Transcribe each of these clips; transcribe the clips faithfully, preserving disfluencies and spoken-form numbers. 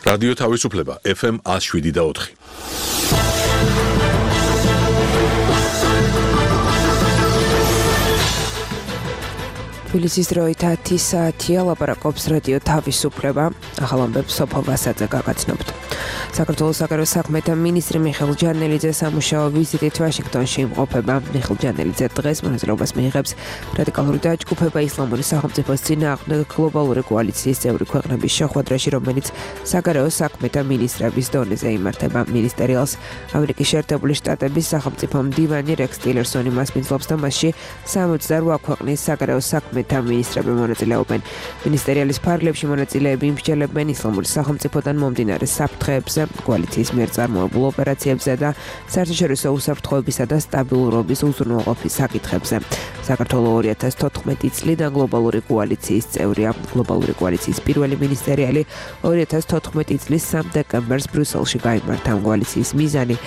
რადიო თავისუფლება ეფ ემ one oh seven და four. თბილისის დროით ათი საათია ლაპარაკობს რადიო თავისუფლება. ახალ ამბებს სოფო ვასაძე გაგაცნობთ. საქართველოს საგარეო საქმეთა მინისტრი მიხეილ ჯანელიძე სამუშაო ვიზიტით ვაშინგტონში იმყოფება. მიხეილ ჯანელიძე დღეს მონაწილეობას მიიღებს რადიკალური დაჯგუფება ისლამური სახელმწიფოს წინააღმდეგ გლობალური კოალიციის წევრი ქვეყნების შეხვედრაში, რომელიც საგარეო საქმეთა მინისტრების დონეზე იმართება. მინისტერიალს ამერიკის შეერთებული შტატების სახელმწიფო მდივანი რექს ტილერსონი მასპინძლობს და მასში სამოცდაოთხ ქვეყნის საგარეო საქმეთა მინისტრები მონაწილეობენ. მინისტერიალის ფარგლებში მონაწილეები იმსჯელებენ ისლამური სახელმწიფოდან მომდინარე საფრთხეებზე, კოალიციის მიერ წარმოებულ ოპერაციებზე და საერთაშორისო უსაფრთხოებისა და სტაბილურობის უზრუნველყოფის საკითხებზე. საქართველოს ორი ათას თოთხმეტი წლიდან გლობალური კოალიციის წევრია. გლობალური კოალიციის პირველი მინისტერიალი ორი ათას თოთხმეტი წლის სამი დეკემბერს ბრიუსელში გაიმართა. კოალიციის მიზანი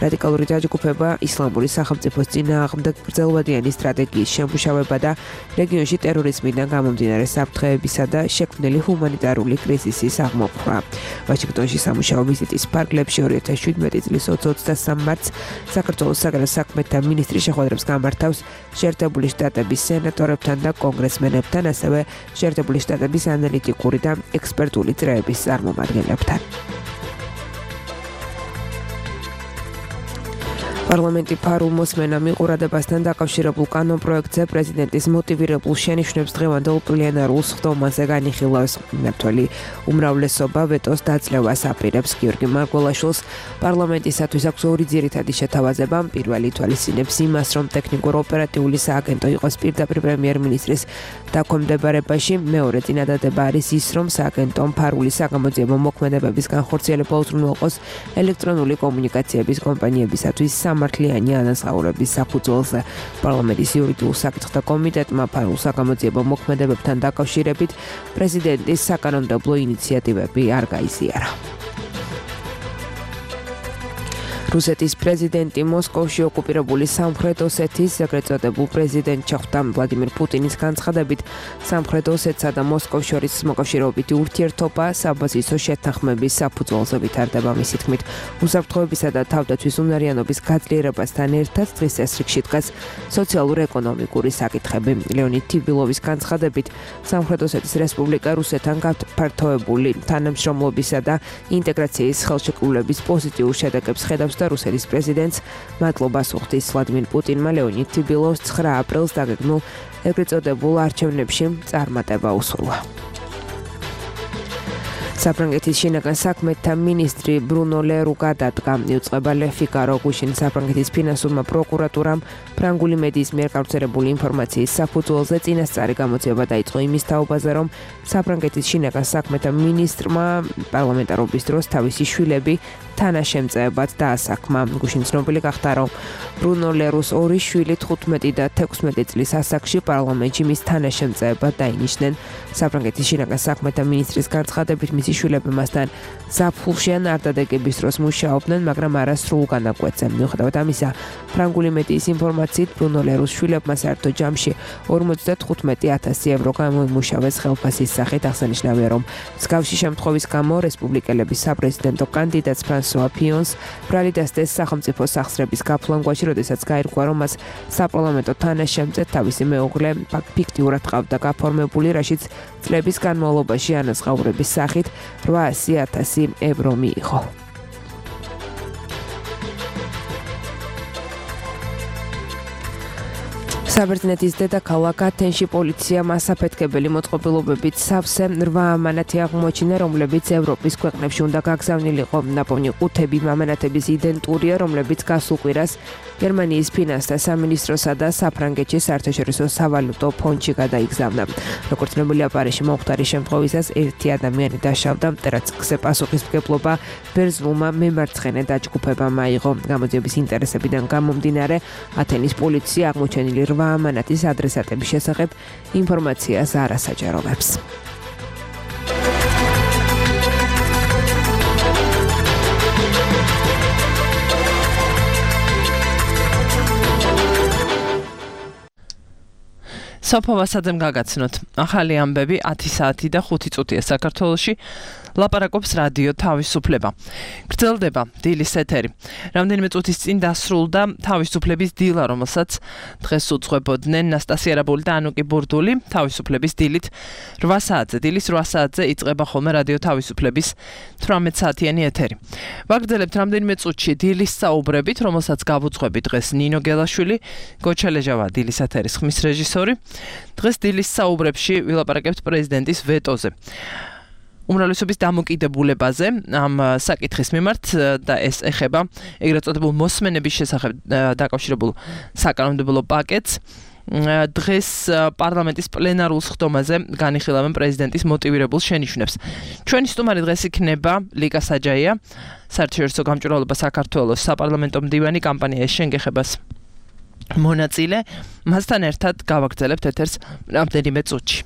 რადიკალური დაჯგუფება ისლამური სახელმწიფოს წინააღმდეგ გრძელვადიანი სტრატეგიის შემუშავება და რეგიონში ტერორიზმიდან გამომდინარე საფრთხეებისა და შექმნილი ჰუმანიტარული კრიზისის აღმოფხვრა. ვაშინგტონში სამუშაო ვიზიტის ფარგლებში ორი ათას შვიდმეტი წლის ოცდასამი მარტს საქართველოს საგარეო საქმეთა მინისტრი შეხვედრებს გამართავს შეერთებული შტატების სენატორებთან და კონგრესმენებთან, ასევე შეერთებული შტატების ანალიტიკური და ექსპერტული წრეების წარმომადგენლებთან. პარლამენტი ფარულ მოსმენამ მიყურადებასთან დაკავშირებულ კანონპროექტზე პრეზიდენტის მოტივირებულ შენიშვნებს დღევანდელ პლენარულ სხდომაზე განიხილავს. მმართველი უმრავლესობა ვეტოს დაძლევას აპირებს. გიორგი მარგველაშვილს პარლამენტისათვის აქვს ორი ძირითადი შეთავაზება. პირველი ითვალისწინებს იმას, რომ ტექნიკურ-ოპერატიული სააგენტო იყოს პირდაპირ პრემიერ-მინისტრის დაქვემდებარებაში. მეორე წინადადება არის ის, რომ სააგენტომ ფარული საგამოძიებო მოქმედებების განხორციელება უზრუნველყოს ელექტრონული კომუნიკაციების კომპანიებისათვის სამართლიანი ანაზღაურების საფუძველზე. პარლამენტის იურიდიულ საკითხთა კომიტეტმა ფარულ საგამოძიებო მოქმედებებთან დაკავშირებით პრეზიდენტის საკანონმდებლო ინიციატივები არ გაიზიარა. რუსეთის პრეზიდენტი მოსკოვში ოკუპირებული სამხრეთ ოსეთის ეგრეთ წოდებულ პრეზიდენტ ჩხუტა ვლადიმერ პუტინის განცხადებით სამხრეთ ოსეთსა და მოსკოვს შორის მოკავშირეობითი ურთიერთობა საბაზისო შეთანხმების საფუძველზე ვითარდება. მისი თქმით, უსაფრთხოებისა და თავდაცვის უნარიანობის გაძლიერებასთან ერთად დღის წესრიგში დგას სოციალურ-ეკონომიკური საკითხები. ლეონიდ თიბილოვის განცხადებით, სამხრეთ ოსეთის რესპუბლიკა რუსეთთან გაფართოებული თანამშრომლობისა და ინტეგრაციის ხელშეკრულების პოზიტიურ შედეგებს ხედავს და რუსეთის პრეზიდენტს მადლობას უხდის. ვლადიმერ პუტინმა ლეონიდ თიბილოვს ცხრა აპრილს დაგეგმულ ეგრეთ წოდებულ არჩევნებში წარმატება უსურვა. საფრანგეთის შინაგან საქმეთა მინისტრი ბრუნო ლერუ გადადგა. იუწყება Le Figaro გუშინ საფრანგეთის ფინანსურმა პროკურატურამ ფრანგული მედიის მიერ გავრცელებული ინფორმაციის საფუძველზე წინასწარი გამოძიება დაიწყო იმის თაობაზე, რომ საფრანგეთის შინაგან საქმეთა მინისტრმა პარლამენტარობის დროს თავისი შვილები თანაშემწეებად დაასაქმა. გუშინ ცნობილი გახდა, რომ ბრუნო ლერუს ორი შვილი თხუთმეტი და თექვსმეტი წლის ასაკში პარლამენტში მის თანაშემწეებად დაინიშნენ. საფრანგეთის შინაგან საქმეთა მინისტრის განცხადებით, მისი შვილები მასთან ზაფხულში ან არდადეგების დროს მუშაობდნენ, მაგრამ არა სრულ განაკვეთზე. მიუხედავად ამისა, ფრანგული მედიის ინფორმაციით ბრუნო ლერუს შვილებმა საერთო ჯამში ორმოცდათხუთმეტი ათასი ევრო გამოიმუშავეს ხელფასის სახით. აღსანიშნავია, რომ მსგავსი შემთხვევის გამო რესპუბლიკელების საპრეზიდენტო კანდიდატს ფრანსუა ფიონს ბრალი დასდეს სახელმწიფო სახსრების გაფლანგვაში, როდესაც გაირკვა, რომ მას საპარლამენტო თანაშემწედ თავისი მეუღლე ფიქტიურად ყავდა გაფორმებული, რაშიც წლების განმავლობაში ანაზღაურების სახით რვაასი ათასი ევრო მიიღო. საბერძნეთის დედაქალაქ ათენში პოლიციამ ასაფეთქებელი მოწყობილობებით სავსე რვა ამანათი აღმოაჩინა, რომლებიც ევროპის ქვეყნებში უნდა გაგზავნილიყო. ნაპოვნი ყუთები ამანათების იდენტურია, რომლებიც გასულ კვირას გერმანიის ფინანსთა სამინისტროსა და საფრანგეთის საერთაშორისო სავალუტო ფონდში გადაიგზავნა. როგორც ცნობილია, პარიზში მომხდარი შემთხვევისას ერთი ადამიანი დაშავდა, რაც გზეპასუხისმგებლობა ბერძნულმა მემარცხენე დაჯგუფებამ აიღო. გამოძიების ინტერესებიდან გამომდინარე, ათენის პოლიცია აღმოჩენილი რვა ამანათის ადრესატების შესახებ ინფორმაციას არ ასაჯაროვებს. სოფო ვასაძემ გაგაცნოთ. ახალი ამბები ათი საათი და ხუთი წუთია საქართველოში. ლაპარაკობს რადიო თავისუფლება. გრძელდება დილის ეთერი. რამდენიმე წუთის წინ დასრულდა თავისუფლების დილა, რომელსაც დღეს უძღვებოდნენ ნასტასია რაბული და ანუკი ბურდული. თავისუფლების დილით რვა საათზე, დილის რვა საათზე იწყება ხოლმე რადიო თავისუფლების თვრამეტ საათიანი ეთერი. ვაგრძელებთ რამდენიმე წუთში დილის საუბრებით, რომელსაც გავუძღვები დღეს ნინო გელაშვილი, გოჩელეჟავა დილის ეთერის ხმის რეჟისორი. დღეს დილის საუბრებში ვილაპარაკებთ პრეზიდენტის ვეტოზე. უმრავლესობის დამოკიდებულებაზე ამ საკითხის მიმართ და ეს ეხება ეგრეთ წოდებულ მოსმენების შესახებ დაკავშირებულ საკანონმდებლო პაკეტს. დღეს პარლამენტის პლენარულ სხდომაზე განიხილავენ პრეზიდენტის მოტივირებულ შენიშვნებს. ჩვენი სტუმარი დღეს იქნება ლიკა საჯაია, საერთაშორისო გამჭვირვალობა საქართველოს საპარლამენტო მდივანი კამპანია შენგეხებას მონაწილე. მასთან ერთად გავაგრძელებთ ეთერს რამდენიმე წუთში.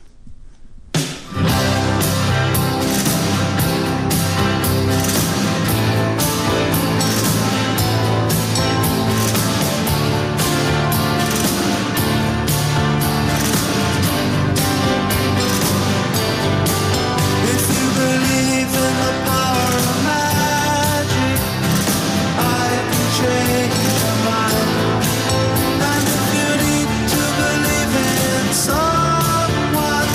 Someone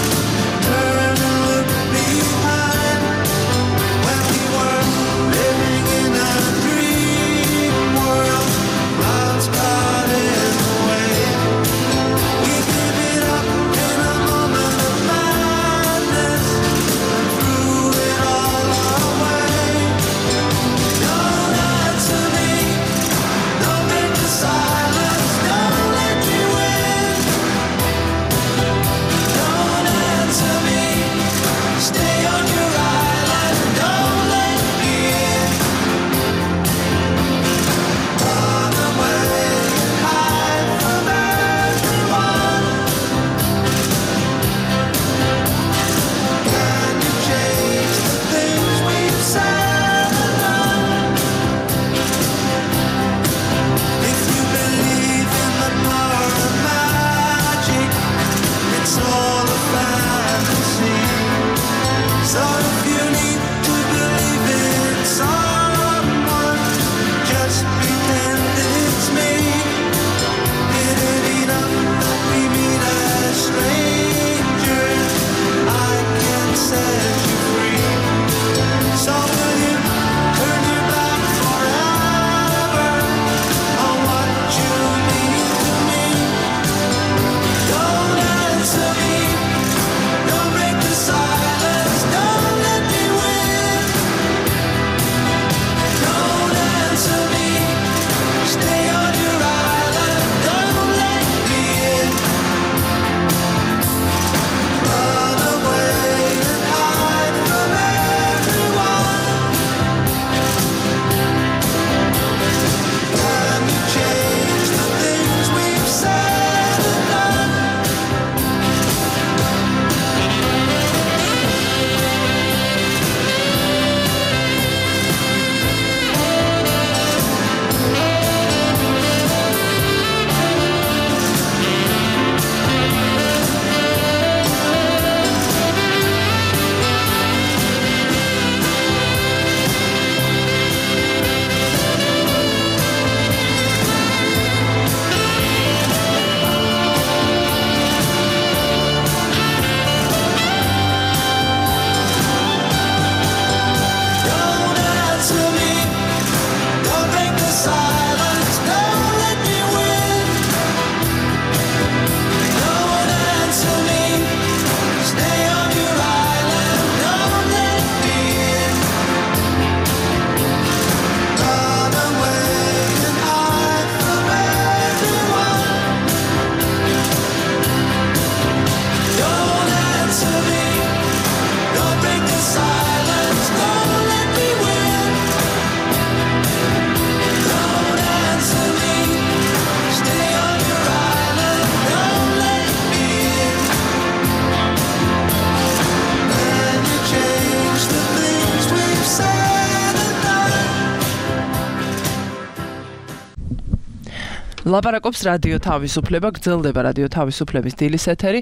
ლაპარაკობს რადიო თავისუფლება, გრძელდება რადიო თავისუფლების დილის ეთერი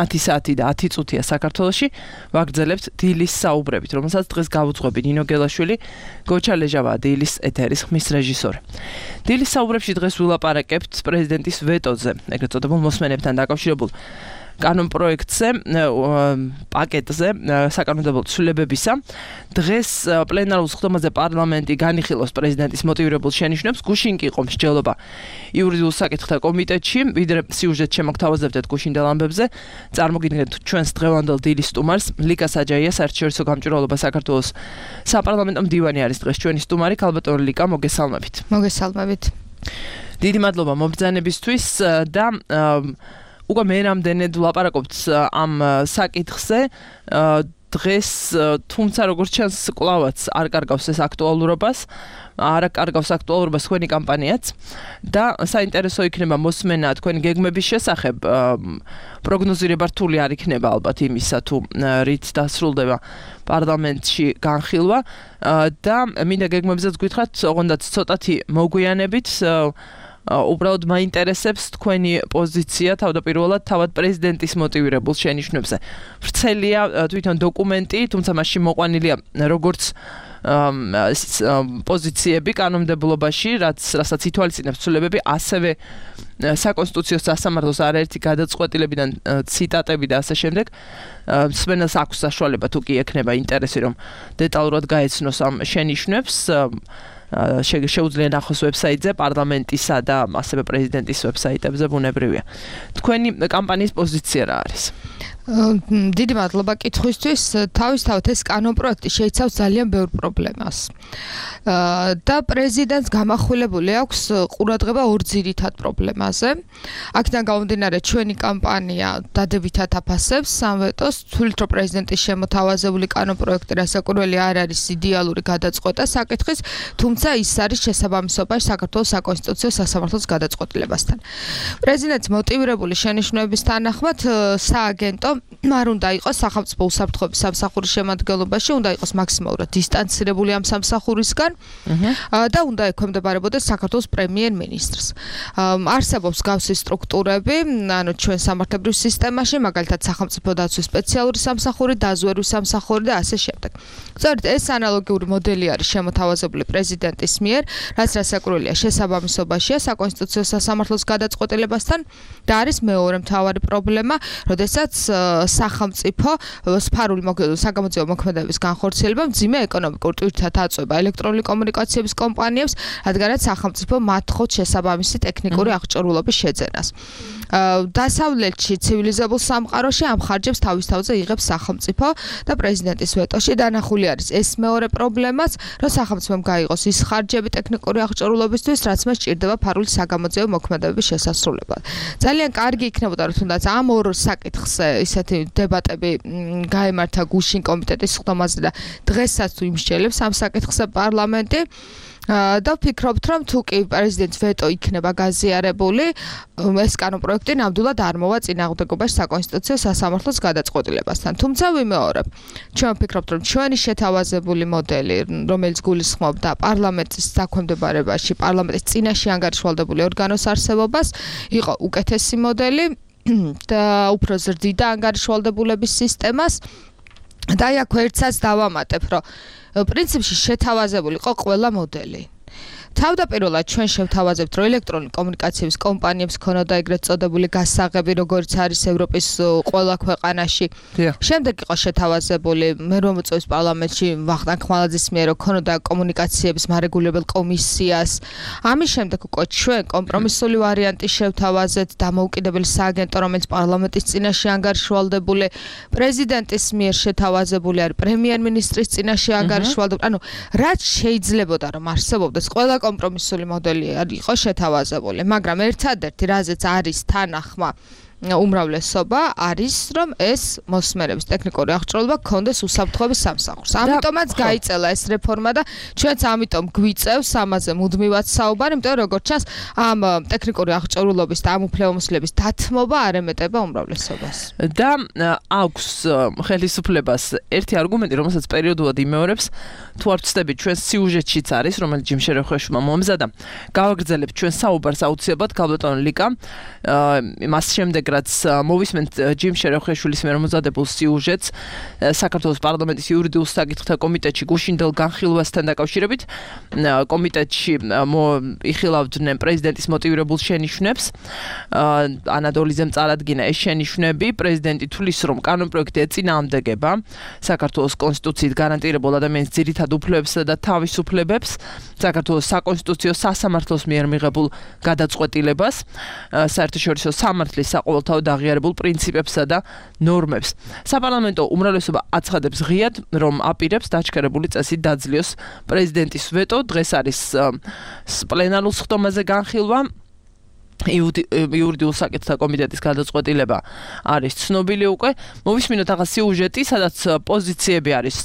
ათი საათი და ათი წუთია საქართველოში. ვაგრძელებთ დილის საუბრებით, რომელსაც დღეს გავუძღვები ნინო გელაშვილი, გოჩა ლეჟავა დილის ეთერის ხმის რეჟისორი. დილის საუბრებში დღეს ვილაპარაკებთ პრეზიდენტის ვეტოზე, ეგრეთ წოდებულ მოსმენებთან დაკავშირებულ კანონ პროექტზე, პაკეტზე, საკანონმდებლო ცვლილებებისა. დღეს პლენარულ სხდომაზე პარლამენტი განიხილავს პრეზიდენტის მოტივირებულ შენიშვნებს. გუშინ კი იყო მსჯელობა იურიდიულ საკითხთა კომიტეტში, ვიდრე სიუჟეტ შემოგთავაზებდეთ გუშინდელ ამბებზე. წარმოგიდგენთ ჩვენს დღევანდელ დილის სტუმარს, ლიკა საჯაია, საერთაშორისო გამჭვირვალობა საქართველოს საპარლამენტო მდივანი არის დღეს ჩვენი სტუმარი. ქალბატონი ლიკა, მოგესალმებით. მოგესალმებით. დიდი მადლობა მობრძანებისთვის და უკვე მე რამდენად ვლაპარაკობთ ამ საკითხზე. დღეს თუმცა როგორც ჩანს კლავაც არ კარგავს ეს აქტუალურობას, არ კარგავს აქტუალურობას თქვენი კამპანიაც და საინტერესო იქნება მოსმენა თქვენი გეგმების შესახებ. პროგნოზირება რთული არ იქნება ალბათ იმისა თუ რით დასრულდება პარლამენტში განხილვა და მინდა გეგმებზეც გითხრათ, ოღონდაც ცოტათი მოგვიანებით. უბრალოდ მაინტერესებს თქვენი პოზიცია თავდაპირველად თავად პრეზიდენტის მოტივირებულ შენიშვნებზე. ვრცელია თვითონ დოკუმენტი, თუმცა მასში მოყვანილია როგორც პოზიციები კანონმდებლობაში, რაც რასაც ითვალისწინებს ცვლილებები, ასევე საკონსტიტუციო სასამართლოს არაერთი გადაწყვეტილებიდან ციტატები და ასე შემდეგ. მსმენელს აქვს საშუალება თუ კი ექნება ინტერესი, რომ დეტალურად გაეცნოს ამ შენიშვნებს. შეუძლია ნახოს ვებსაიტზე, პარლამენტისა და ასევე პრეზიდენტის ვებსაიტებზე, ბუნებრივია. თქვენი კამპანიის პოზიცია რა არის? დიდი მადლობა კითხვისთვის. თავისთავად ეს კანონპროექტი შეიცავს ძალიან ბევრ პრობლემას. და პრეზიდენტს გამახვილებული აქვს ყურადღება ორ ძირითად პრობლემაზე. აქედან გამომდინარე, ჩვენი კამპანია დადებითად აფასებს ამ ვეტოს, თვლით რომ პრეზიდენტის შემოთავაზებული კანონპროექტი რასაკვირველი არ არის იდეალური გადაწყვეტა საკითხის, თუმცა ის არის შესაბამისობაში საქართველოს საკონსტიტუციო სასამართლოს გადაწყვეტილებასთან. პრეზიდენტის მოტივირებული შენიშვნების თანახმად სააგენტო არ უნდა იყოს სახელმწიფო უსაფრთხოების სამსახურის შემადგენლობაში, უნდა იყოს მაქსიმალურად დისტანცირებული ამ სამსახურისგან და უნდა ექვემდებარებოდეს საქართველოს პრემიერ-მინისტრს. არსებობს გავსი სტრუქტურები, ანუ ჩვენ სამართლებრივ სისტემაში, მაგალითად სახელმწიფო დაცვის სპეციალური სამსახური, დაზვერვის სამსახური და ასე შემდეგ. სწორედ ეს ანალოგიური მოდელი არის შემოთავაზებული პრეზიდენტის მიერ, რაც რასაკვირველია შესაბამისობაშია საკონსტიტუციო სასამართლოს გადაწყვეტილებასთან და არის მეორე მთავარი პრობლემა, როდესაც სახელმწიფო სფარული საგამოძიებო მოქმედებების განხორციელება მძიმე ეკონომიკურ ტვირთად აწვება ელექტრონული კომუნიკაციების კომპანიებს, რადგანაც სახელმწიფო მათხოვს შესაბამისი ტექნიკური აღჭურვილობის შეძენას. დასავლეთში ცივილიზებულ სამყაროში ამ ხარჯებს თავის თავზე იღებს სახელმწიფო და პრეზიდენტის ვეტოში დანახული არის ეს მეორე პრობლემაც, რომ სახელმწიფომ გაიღოს ის ხარჯები ტექნიკური აღჭურვილობისთვის, რაც მას სჭირდება ფარული საგამოძიებო მოქმედებების შესასრულებლად. ძალიან კარგი იქნებოდა, რომ თუნდაც ამ ორ საკითხზე ისეთი დებატები გაემართა გუშინ კომიტეტის სხდომაზე და დღესაც თუ იმსჯელებს ამ საკითხზე პარლამენტი. და ვფიქრობთ, რომ თუ კი პრეზიდენტის ვეტო იქნება გაზიარებული, ეს კანონპროექტი ნამდვილად არ მოვა წინააღმდეგობაში საკონსტიტუციო სასამართლოს გადაწყვეტილებასთან. თუმცა ვიმეორებ, ჩვენ ვფიქრობთ, რომ ჩვენი შეთავაზებული მოდელი, რომელიც გულისხმობდა პარლამენტის დაქვემდებარებაში, პარლამენტის წინაშე ანგარიშვალდებული ორგანოს არსებობას, იყო უკეთესი მოდელი და უფრო ზრდიდა ანგარიშვალდებულების სისტემას. და აქ ერთსაც დავამატებ, რომ პრინციპში შეთავაზებული იყო ყველა მოდელი. თავდაპირველად ჩვენ შევთავაზებთ, რომ ელექტრონული კომუნიკაციების კომპანიებს ქონოდა ეგრეთ წოდებული გასაღები, როგორც არის ევროპის ყველა ქვეყანაში. შემდეგ იყო შეთავაზებული, მე რომ მოწვევს პარლამენტში ვახტანგ ხმალაძის მიერ, რომ ქონოდა კომუნიკაციების მარეგულებელ კომისიას. ამის შემდეგ უკვე ჩვენ კომპრომისული ვარიანტი შევთავაზეთ, დამოუკიდებელი სააგენტო, რომელიც პარლამენტის წინაშე ანგარიშვალდებული, პრეზიდენტის მიერ შეთავაზებული არის პრემიერ-მინისტრის წინაშე ანგარიშვალდებული. ანუ რაც შეიძლებოდა რომ არსებობდეს ყველა კომპრომისული მოდელი იყო შეთავაზებული, მაგრამ ერთადერთი, რაზეც არის თანახმა უმრავლესობა არის, რომ ეს მოსმენების ტექნიკური აღჭურვილობა გქონდეს უსაფრთხოების სამსახურს. ამიტომაც გაიწელა ეს რეფორმა და ჩვენც ამიტომ გვიწევს ამაზე მუდმივად საუბარი, იმიტომ რომ როგორც ჩანს, ამ ტექნიკური აღჭურვილობის და ამ უფლებამოსილების დათმობა არ ემეტება უმრავლესობას. და აქვს ხელისუფლებას ერთი არგუმენტი, რომელსაც პერიოდულად იმეორებს, თუ არ ვცდებით, ჩვენ სიუჟეტშიც არის, რომელიც ჯიმ შერეხვეშმა მომზადა. გავაგრძელებთ ჩვენ საუბარს აუცილებლად ქალბატონ ლიკა. მას შემდეგ რაც მოვისმენთ ჯიმ შერეხვეშვილის მიერ მომზადებულ სიუჟეტს საქართველოს პარლამენტის იურიდიულ საკითხთა კომიტეტში გუშინდელ განხილვასთან დაკავშირებით, კომიტეტში იხილავდნენ პრეზიდენტის მოტივირებულ შენიშვნებს. ანადოლიძემ წარადგინა ეს შენიშვნები. პრეზიდენტი თვლის, რომ კანონპროექტი ეწინააღმდეგება საქართველოს კონსტიტუციით გარანტირებულ ადამიანის ძირითად უფლებებსა და თავისუფლებებს, საქართველოს საკონსტიტუციო სასამართლოს მიერ მიღებულ გადაწყვეტილებას, საერთაშორისო სამართლის საყოველთაოდ აღიარებულ პრინციპებსა და ნორმებს. საპარლამენტო უმრავლესობა აცხადებს ღიად, რომ აპირებს დაჩქერებული წესით დაძლიოს პრეზიდენტის ვეტო. დღეს არის პლენარულ სხდომაზე განხილვა. იურიდიულ საკითხთა კომიტეტის გადაწყვეტილება არის ცნობილი უკვე. მოვისმინოთ ახლა სიუჟეტი, სადაც პოზიციები არის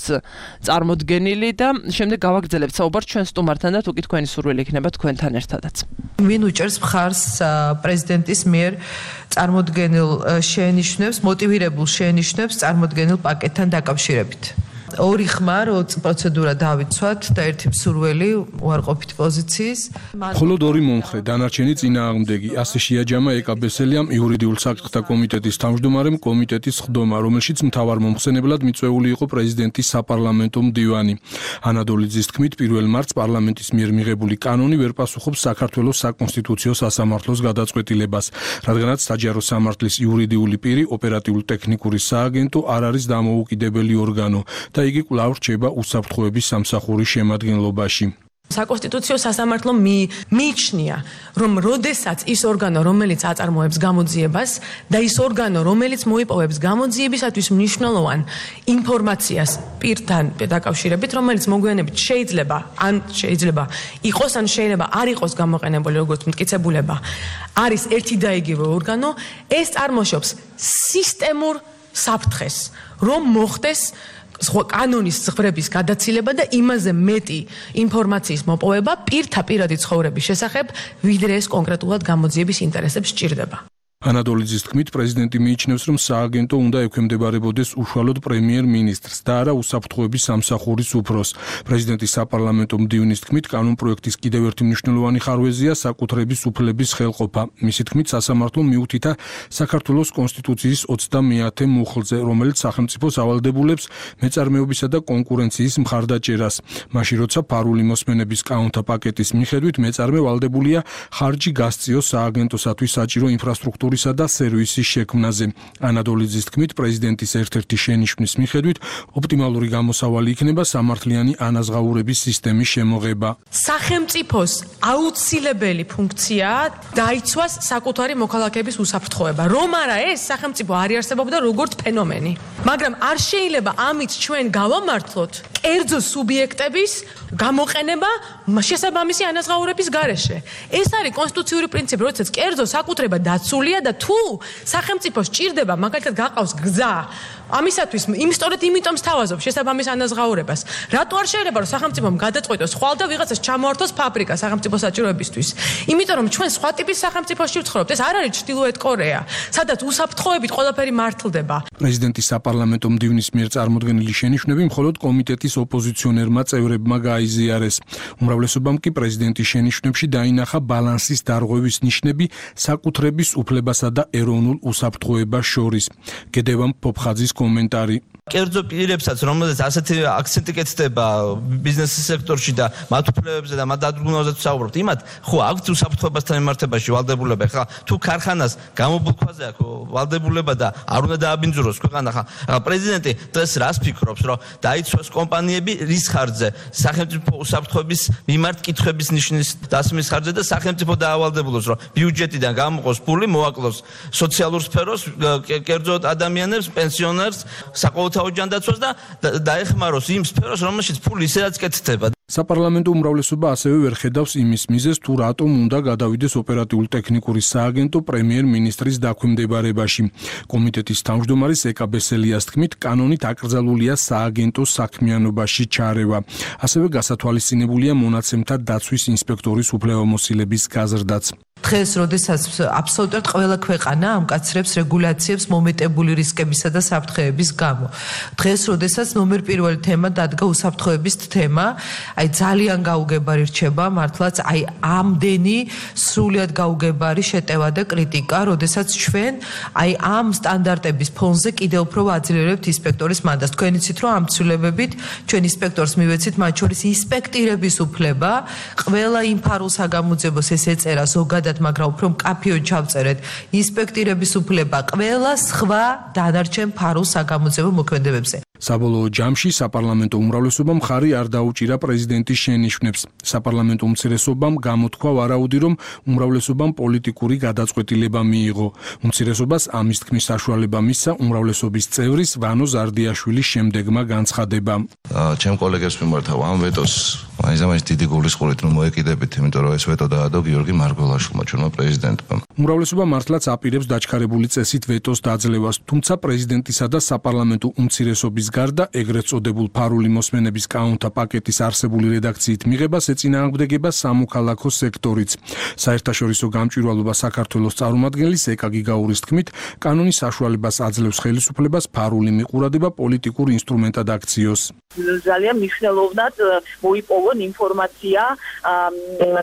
წარმოდგენილი და შემდეგ გავაგრძელებთ საუბარს ჩვენ სტუმართან და თუ კი თქვენი სურვილი იქნება თქვენთან ერთადაც. ვინ უჭერს მხარს პრეზიდენტის მიერ წარმოდგენილ შენიშვნებს, მოტივირებულ შენიშვნებს წარმოდგენილ პაკეტთან დაკავშირებით? ორი ხმა, რო პროცედურა დავიცვათ და ერთი მსურველი უარყოფით პოზიციის. მხოლოდ ორი მომხრე, დანარჩენი წინააღმდეგი. ასე შეაჯამა ეკაბესელიამ იურიდიულ საკითხთა კომიტეტის თავმჯდომარემ კომიტეტის ხდომა, რომელშიც მთავარ მომხსენებლად მიწვეული იყო პრეზიდენტის საპარლამენტო მდივანი. ანადოლიძის თქმით, პირველ მარტს პარლამენტის მიერ მიღებული კანონი ვერ პასუხობს საქართველოს საკონსტიტუციო სასამართლოს გადაწყვეტილებას, რადგანაც საჯარო სამართლის იურიდიული პირი ოპერატიულ-ტექნიკური სააგენტო არ არის დამოუკიდებელი ორგანო და იგი კვლავ რჩება უსაფრთხოების სამსახურის შემადგენლობაში. საკონსტიტუციო სასამართლო მიიჩნია, რომ როდესაც ის ორგანო, რომელიც აწარმოებს გამოძიებას და ის ორგანო, რომელიც მოიპოვებს გამოძიებისათვის მნიშვნელოვან ინფორმაციას პირთან დაკავშირებით, რომელიც მოგვიანებით შეიძლება ან შეიძლება იყოს, ან შეიძლება არ იყოს გამოყენებული როგორც მტკიცებულება, არის ერთი და იგივე ორგანო, ეს წარმოშობს სისტემურ საფრთხეს, რომ მოხდეს კანონის ზღვრების გადაცილება და იმაზე მეტი ინფორმაციის მოპოვება პირთა პირადი ცხოვრების შესახებ, ვიდრე ეს კონკრეტულად გამოძიების ინტერესებს სჭირდება. ანადოლიძის თქმით, პრეზიდენტი მიიჩნევს, რომ სააგენტო უნდა ექვემდებარებოდეს უშუალოდ პრემიერ-მინისტრს და არა უსაფრთხოების სამსახურის უფროს. პრეზიდენტის საპარლამენტო მდივნის თქმით, კანონპროექტის კიდევ ერთი მნიშვნელოვანი ხარვეზია საკუთრების უფლების ხელყოფა. მისი თქმით, სასამართლო მიუთითა საქართველოს კონსტიტუციის ოცდამეათე მუხლზე, რომელიც სახელმწიფოს ავალდებულებს მეწარმეობისა და კონკურენციის მხარდაჭერას. მაშინ, როცა ფარული მოსმენების კანონთა პაკეტის მიხედვით მეწარმე ვალდებულია ხარჯი გასწიოს სააგენტოსათვის საჭირო ინფრასტრუქტურის და სერვისის შექმნაზე. ანადოლიძის თქმით, პრეზიდენტის ერთ-ერთი შენიშვნის მიხედვით ოპტიმალური გამოსავალი იქნება სამართლიანი ანაზღაურების სისტემის შემოღება. სახელმწიფოს აუცილებელი ფუნქციაა დაიცვას საკუთარი მოქალაქეების უსაფრთხოება. რომ არა ეს სახელმწიფო არ იარსებობდა როგორც ფენომენი. მაგრამ არ შეიძლება ამით ჩვენ გავამართლოთ კერძო სუბიექტების გამოყენება შესაბამისი ანაზღაურების გარეშე. ეს არის კონსტიტუციური პრინციპი, როდესაც კერძო საკუთრება დაცულია და თუ სახელმწიფო სჭირდება, მაგალითად გაყავს გზა, ამისათვის იმ სწორედ იმიტომ სთავაზობ შესაბამის ანაზღაურებას. რატო არ შეიძლება რომ სახელმწიფომ გადაწყვეტოს ხვალ და ვიღაცას ჩამოართოს ფაბრიკა სახელმწიფო საჭიროებისთვის? იმიტომ რომ ჩვენ სხვა ტიპის სახელმწიფოში ვცხოვრობთ. ეს არ არის ჩრდილოეთ კორეა, სადაც უსაფრთხოებით ყველაფერი მართლდება. პრეზიდენტის საპარლამენტო მდივნის მიერ წარმოდგენილი შენიშვნები მხოლოდ კომიტეტის ოპოზიციონერმა წევრებმა გაიზიარეს. უმრავლესობამ კი პრეზიდენტის შენიშვნებში დაინახა ბალანსის დარღვევის ნიშნები საკუთრების უფლებასა და ეროვნულ უსაფრთხოებას შორის. გედევან ფოფხაძის კომენტარი. კერძო პირებსაც, რომელზეც ასეთი აქცენტი კეთდება ბიზნესის სექტორში და მათ უფლებებზე და მათ დადგმაზე ვსაუბრობთ, იმათ ხო აქვთ უსაფრთხოებასთან მიმართებაში ვალდებულება. ხა თუ ქარხანას გამობულქვაზე აქვს ვალდებულება და არ უნდა დააბინძუროს ქვეყანა, ხა პრეზიდენტი დღეს რას ფიქრობს, რომ დაიცვას კომპანიები რის ხარჯზე? სახელმწიფო უსაფრთხოების მიმართ კითხვების ნიშნის დასმის ხარჯზე და სახელმწიფო დაავალდებულოს, რომ ბიუჯეტიდან გამოყოს ფული, მოაკლოს სოციალურ სფეროს, კერძო ადამიანებს, პენსიონერს, საყოველთაო ჯანდაცვას და დაეხმაროს იმ სფეროს, რომელშიც ფული ისედაც კეთდება. საპარლამენტო უმრავლესობა ასევე ვერ ხედავს იმის მიზეზს, თუ რატომ უნდა გადავიდეს ოპერატიული ტექნიკური სააგენტო პრემიერ-მინისტრის დაქვემდებარებაში. კომიტეტის თავმჯდომარის ეკა ბესელიას თქმით, კანონით აკრძალულია სააგენტოს საქმიანობაში ჩარევა. ასევე გასათვალისწინებულია მონაცემთა დაცვის ინსპექტორის უფლებამოსილების გაზრდაც. დღეს, როდესაც აბსოლუტურად ყველა ქვეყანა ამკაცრებს რეგულაციებს მომეტებული რისკებისა და საფრთხეების გამო. დღეს, როდესაც ნომერ პირველი თემა დადგა უსაფრთხოების თემა, აი ძალიან გაუგებარი რჩება მართლაც აი ამდენი სრულად გაუგებარი შეტევა და კრიტიკა, როდესაც ჩვენ აი ამ სტანდარტების ფონზე კიდევ უფრო ვაძლიერებთ ინსპექტორის მანდატს. თქვენ იცით, რომ ამ ცვლილებებით ჩვენ ინსპექტორს მივეცით, მათ შორის ინსპექტირების უფლება, ყველა იმ ფარულს აგამოძებოს ეს ეწერა ზოგადად, მაგრამ უფრო მკაფიოდ ჩავწერეთ ინსპექტირების უფლება ყველა სხვა დანარჩენ ფარულს აგამოძებო მოქმედებებზე. საბოლოო ჯამში საპარლამენტო უმრავლესობამ მხარი არ დაუჭირა პრეზიდენტის შენიშვნებს. საპარლამენტო უმცირესობამ გამოთქვა ვარაუდი, რომ უმრავლესობამ პოლიტიკური გადაწყვეტილება მიიღო. უმცირესობას ამის თქმის საშუალება მისცა უმრავლესობის წევრის ვანო ზარდიაშვილის შემდეგმა განცხადებამ. ჩემ კოლეგებს მიმართავ ამ ვეტოს მაინც დიდი გულისყურით რომ მოეკიდებით, იმიტომ რომ ეს ვეტო დაადო გიორგი მარგველაშვილმა, ჩვენმა პრეზიდენტმა. უმრავლესობა მართლაც აპირებს დაჩქარებული წესით ვეტოს დაძლევას, თუმცა პრეზიდენტისა და საპარლამენტო უმცირესობის გარდა ეგრეთ წოდებულ ფარული მოსმენების კანონთა პაკეტის არსებული რედაქციით მიღებას ეწინააღმდეგება სამოქალაქო სექტორიც. საერთაშორისო გამჭვირვალობა საქართველოს წარმომადგენლის ეკა გიგაურის თქმით, კანონის საშუალებას აძლევს ხელისუფლებას ფარული მიყურადება პოლიტიკურ ინსტრუმენტად აქციოს. ძალიან მნიშვნელოვნად მოიპოვონ ინფორმაცია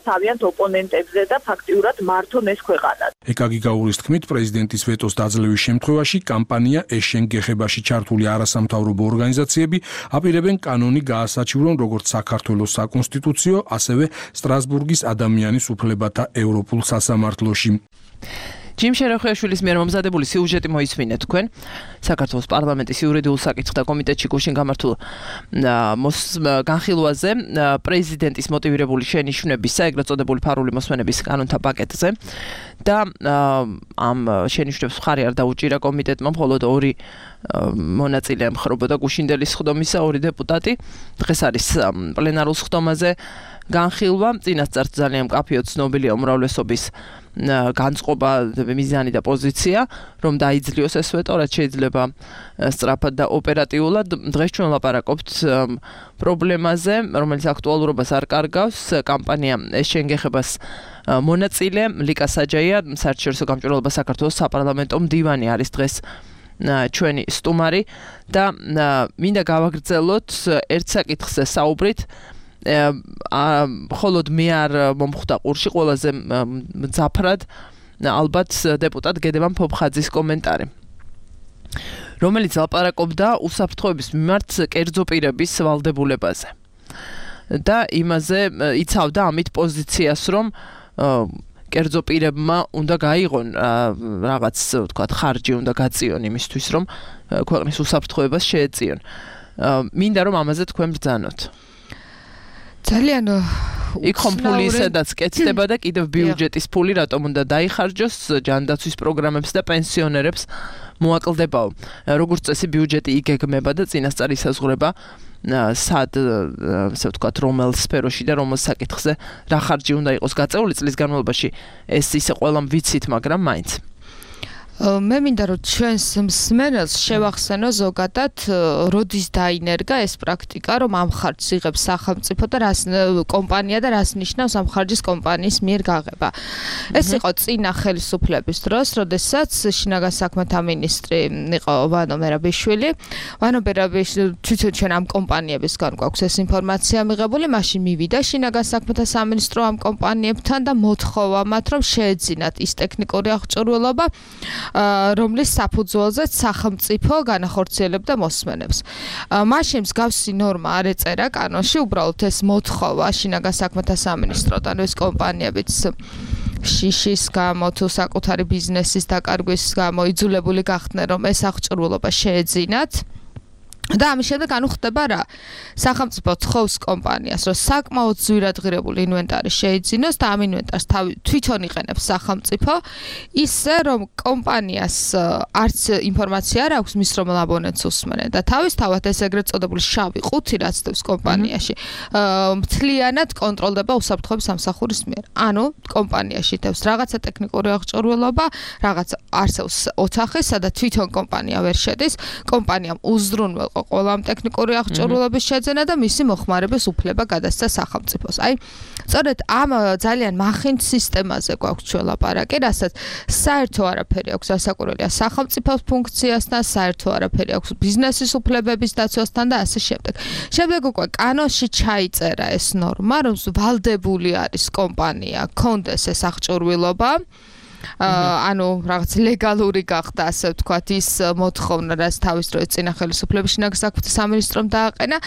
თავიანთ ოპონენტებზე და ფაქტიურად მართონ ეს ქვეყანა. ეკა გიგაურის თქმით, პრეზიდენტის ვეტოს დაძლევის შემთხვევაში კამპანია ეშენ გეხებაში ჩართული არასამთავრობო ორგანიზაციები აპირებენ კანონი გაასაჩივრონ როგორც საქართველოს საკონსტიტუციო, ასევე სტრასბურგის ადამიანის უფლებათა ევროპულ სასამართლოში. ჯიმ შერეხიაშვილის მიერ მომზადებული სიუჟეტი მოისმინეთ თქვენ. საქართველოს პარლამენტის იურიდიულ საკითხთა კომიტეტში გუშინ გამართულ განხილვაზე პრეზიდენტის მოტივირებული შენიშვნებისა, ეგრეთ წოდებული ფარული მოსმენების კანონთა პაკეტზე და ამ შენიშვნებს მხარი არ დაუჭირა კომიტეტმა, მხოლოდ ორი მონაწილე ემხრობოდა გუშინდელი სხდომისა, ორი დეპუტატი. დღეს არის პლენარულ სხდომაზე განხილვა, წინასწარ ძალიან მკაფიოდ ცნობილია უმრავლესობის განწყობა, მიზანი და პოზიცია, რომ დაიძლიოს ეს ვეტო, რაც შეიძლება სწრაფად და ოპერატიულად. დღეს ჩვენ ვლაპარაკობთ პრობლემაზე, რომელიც აქტუალურობას არ კარგავს. კამპანია ეშენ გეხებას მონაწილე ლიკა საჯაია, საერთაშორისო გამჭვირვალობა საქართველოს საპარლამენტო მდივანი არის დღეს ჩვენი სტუმარი და მინდა გავაგრძელოთ ერთ საკითხზე საუბრით. მხოლოდ მე არ მომხვდა ყურში ყველაზე მძაფრად ალბათ დეპუტატ გედემან ფოფხაძის კომენტარი, რომელიც ლაპარაკობდა უსაფრთხოების მიმართ კერძო პირების ვალდებულებაზე და იმაზე იცავდა ამით პოზიციას, რომ კერძო პირებმა უნდა გაიღონ რაღაც ვთქვათ ხარჯი უნდა გაწიონ იმისთვის, რომ ქვეყნის უსაფრთხოებას შეეწიონ. მინდა რომ ამაზე თქვენ ბრძანოთ. ძალიან იქ ხომ ფული ისედაც კეთდება და კიდევ ბიუჯეტის ფული რატომ უნდა დაიხარჯოს ჯანდაცვის პროგრამებს და პენსიონერებს მოაკლდებაო. როგორც წესი ბიუჯეტი იგეგმება და წინასწარ ისაზღვრება სად, ასე ვთქვათ, რომელ სფეროში და რომელ საკითხზე რა ხარჯი უნდა იყოს გაწეული წლის განმავლობაში. ეს ისე ყველამ ვიცით, მაგრამ მაინც მე მინდა რომ ჩვენს მსმენელს შევახსენო ზოგადად როდის დაინერგა ეს პრაქტიკა, რომ ამ ხარჯს იღებს სახელმწიფო და რას კომპანია და რას ნიშნავს ამ ხარჯის კომპანიის მიერ გაღება. ეს იყო წინა ხელისუფლების დროს, როდესაც შინაგან საქმეთა მინისტრი იყო ვანო მერაბიშვილი. ვანო მერაბიშვილი თვითონ ჩვენ ამ კომპანიებისგან გვაქვს ეს ინფორმაცია მიღებული, მაშინ მივიდა შინაგან საქმეთა სამინისტრო ამ კომპანიებთან და მოთხოვა მათ, რომ შეეძინათ ის ტექნიკური აღჭურვილობა, რომლის საფუძველზეც სახელმწიფო განახორციელებდა მოსმენებს. მაშინ მსგავსი ნორმა არ ეწერა კანონში, უბრალოდ ეს მოთხოვა შინაგან საქმეთა სამინისტროდან, ეს კომპანიებიც შიშის გამო თუ საკუთარი ბიზნესის დაკარგვის გამო იძულებული გახდნენ, რომ ეს აღჭურვილობა შეეძინათ. და ამის შემდეგ ანუ ხდება რა სახელმწიფო თხოვს კომპანიას რომ საკმაოდ ძვირადღირებული ინვენტარი შეიძინოს და ამ ინვენტარს თვითონ იყენებს სახელმწიფო ისე რომ კომპანიას არც ინფორმაცია არ აქვს მის რომელ აბონენტს უსმენენ და თავისთავად ეს ეგრეთ წოდებული შავი ყუთი რაც დევს კომპანიაში მთლიანად კონტროლდება უსაფრთხოების სამსახურის მიერ ანუ კომპანიაში დევს რაღაცა ტექნიკური აღჭურვილობა რაღაც არსებს ოთახი სადაც თვითონ კომპანია ვერ შედის კომპანიამ უზრუნველყო ყველა ამ ტექნიკური აღჭურვილობის შეძენა და მისი მოხმარების უფლება გადასცა სახელმწიფოს. აი, სწორედ ამ ძალიან მახინჯ სისტემაზე გვაქვს ჩვენ ლაპარაკი, რასაც საერთო არაფერი აქვს ასაკურველია სახელმწიფოს ფუნქციასთან, საერთო არაფერი აქვს ბიზნესის უფლებების დაცვასთან და ასე შემდეგ. შემდეგ უკვე კანონში ჩაიწერა ეს ნორმა, რომ ვალდებული არის კომპანია, კონდეს ეს აღჭურვილობა. ანუ რაღაც ლეგალური გახდა ასე ვთქვათ ის მოთხოვნა რაც თავის დროის წინა ხელისუფლების შინაგან საქმეთა სამინისტრომ დააყენა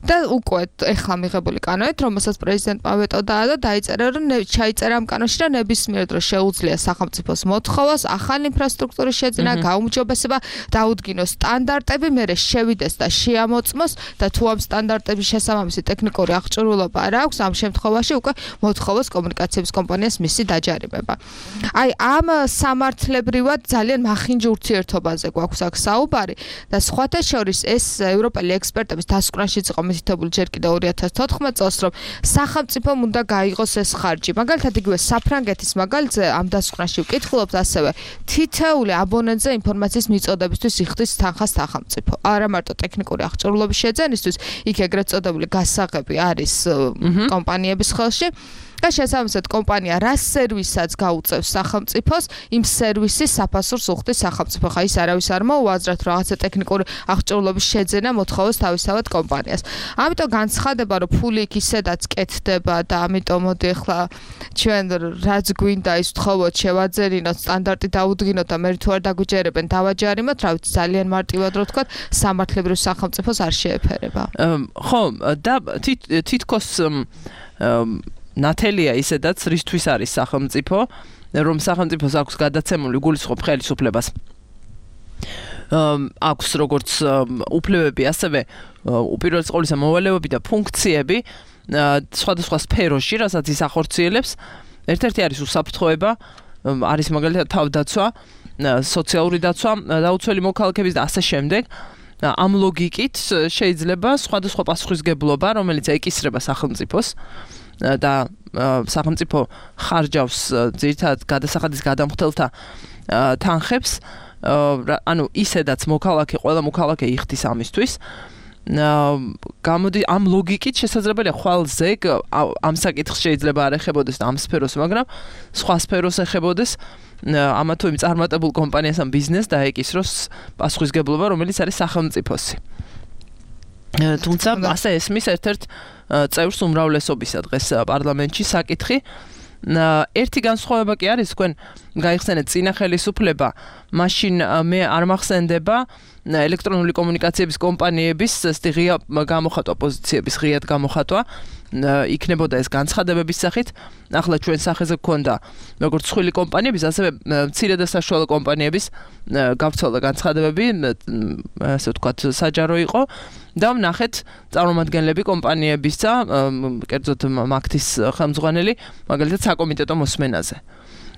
და უკვე ეხლა მიღებული კანონით რომელსაც პრეზიდენტმა ვეტო დაადო დაიწერა რომ ჩაიწერა ამ კანონში და ნებისმიერ დროს შეუძლია სახელმწიფოს მოთხოვას ახალი ინფრასტრუქტურის შეძენა გაუმჯობესება დაუდგინოს სტანდარტები მერე შევიდეს და შეამოწმოს და თუ ამ სტანდარტების შესაბამისი ტექნიკური აღჭურვილობა არ აქვს ამ შემთხვევაში უკვე მოთხოვოს კომუნიკაციების კომპანიას მისი დაჯარიმება აი ამ სამართლებრივად ძალიან მახინჯ ურთიერთობაზე გვაქვს აქ საუბარი და სხვათა შორის ეს ევროპელი ექსპერტების დასკვნაშიც იყო მითითებული ჯერ კიდევ ორი ათას თოთხმეტ წელს რომ სახელმწიფომ უნდა გაიღოს ეს ხარჯი მაგალითად იგივე საფრანგეთის მაგალითზე ამ დასკვნაში ვკითხულობთ ასევე თითეული აბონენტზე ინფორმაციის მიწოდებისთვის იხდის თანხას სახელმწიფო არა მარტო ტექნიკური აღჭურვილობის შეძენისთვის იქ ეგრეთ წოდებული გასაღები არის კომპანიების ხელში და შესაბამისად კომპანია რა სერვისაც გაუწევს სახელმწიფოს იმ სერვისის საფასურს უხდის სახელმწიფო ხა ის არავის არ მოუაზრათ რაღაცა ტექნიკური აღჭურვილობის შეძენა მოთხოვოს თავისთავად კომპანიას ამიტომ განცხადება რომ ფული იქ ისედაც კეთდება და ამიტომ მოდი ახლა ჩვენ რაც გვინდა ის ვთხოვოთ შევაძერინოთ სტანდარტი დაუდგინოთ და მე თუ არ დაგვიჯერებენ დავაჯარიმოთ რა ვიცი ძალიან მარტივად რო ვთქვათ სამართლებრივ სახელმწიფოს არ შეეფერება ხო და თითქოს ნათელია ისედაც რისთვის არის სახელმწიფო რომ სახელმწიფოს აქვს გადაცემული გულისხმობ ხელისუფლებას აქვს როგორც უფლებები ასევე უპირველეს ყოვლისა მოვალეობები და ფუნქციები სხვადასხვა სფეროში რასაც ის ახორციელებს ერთ-ერთი არის უსაფრთხოება არის მაგალითად თავდაცვა სოციალური დაცვა დაუცველი მოქალაქეების და ასე შემდეგ ამ ლოგიკით შეიძლება სხვადასხვა პასუხისგებლობა რომელიც ეკისრება სახელმწიფოს და სახელმწიფო ხარჯავს ძირითადად გადასახადის გადამხდელთა თანხებს ანუ ისედაც მოქალაქე ყველა მოქალაქე იხდის ამისთვის გამოდი ამ ლოგიკით შესაძლებელია ხვალზე ამ საკითხს შეიძლება არ ეხებოდეს და ამ სფეროს მაგრამ სხვა სფეროს ეხებოდეს ამა თუ იმ წარმატებულ კომპანიას ამ ბიზნესს დაეკისროს პასუხისგებლობა რომელიც არის სახელმწიფოსი თუმცა ასე ესმის ერთ-ერთ წევრს უმრავლესობისა დღეს პარლამენტში საკითხი ერთი განსხვავება კი არის თქვენ გაიხსენეთ წინა ხელისუფლება მაშინ მე არ მახსენდება ელექტრონული კომუნიკაციების კომპანიების ღია გამოხატვა პოზიციების ღიად გამოხატვა იქნებოდა ეს განცხადებების სახით ახლა ჩვენ სახეზე გქონდა როგორც სხვილი კომპანიების ასევე მცირე და საშუალო კომპანიების გავრცელდა განცხადებები ასე ვთქვათ საჯარო იყო და ვნახეთ წარმომადგენლები კომპანიებისა კერძოდ მაგთის ხელმძღვანელი მაგალითად საკომიტეტო მოსმენაზე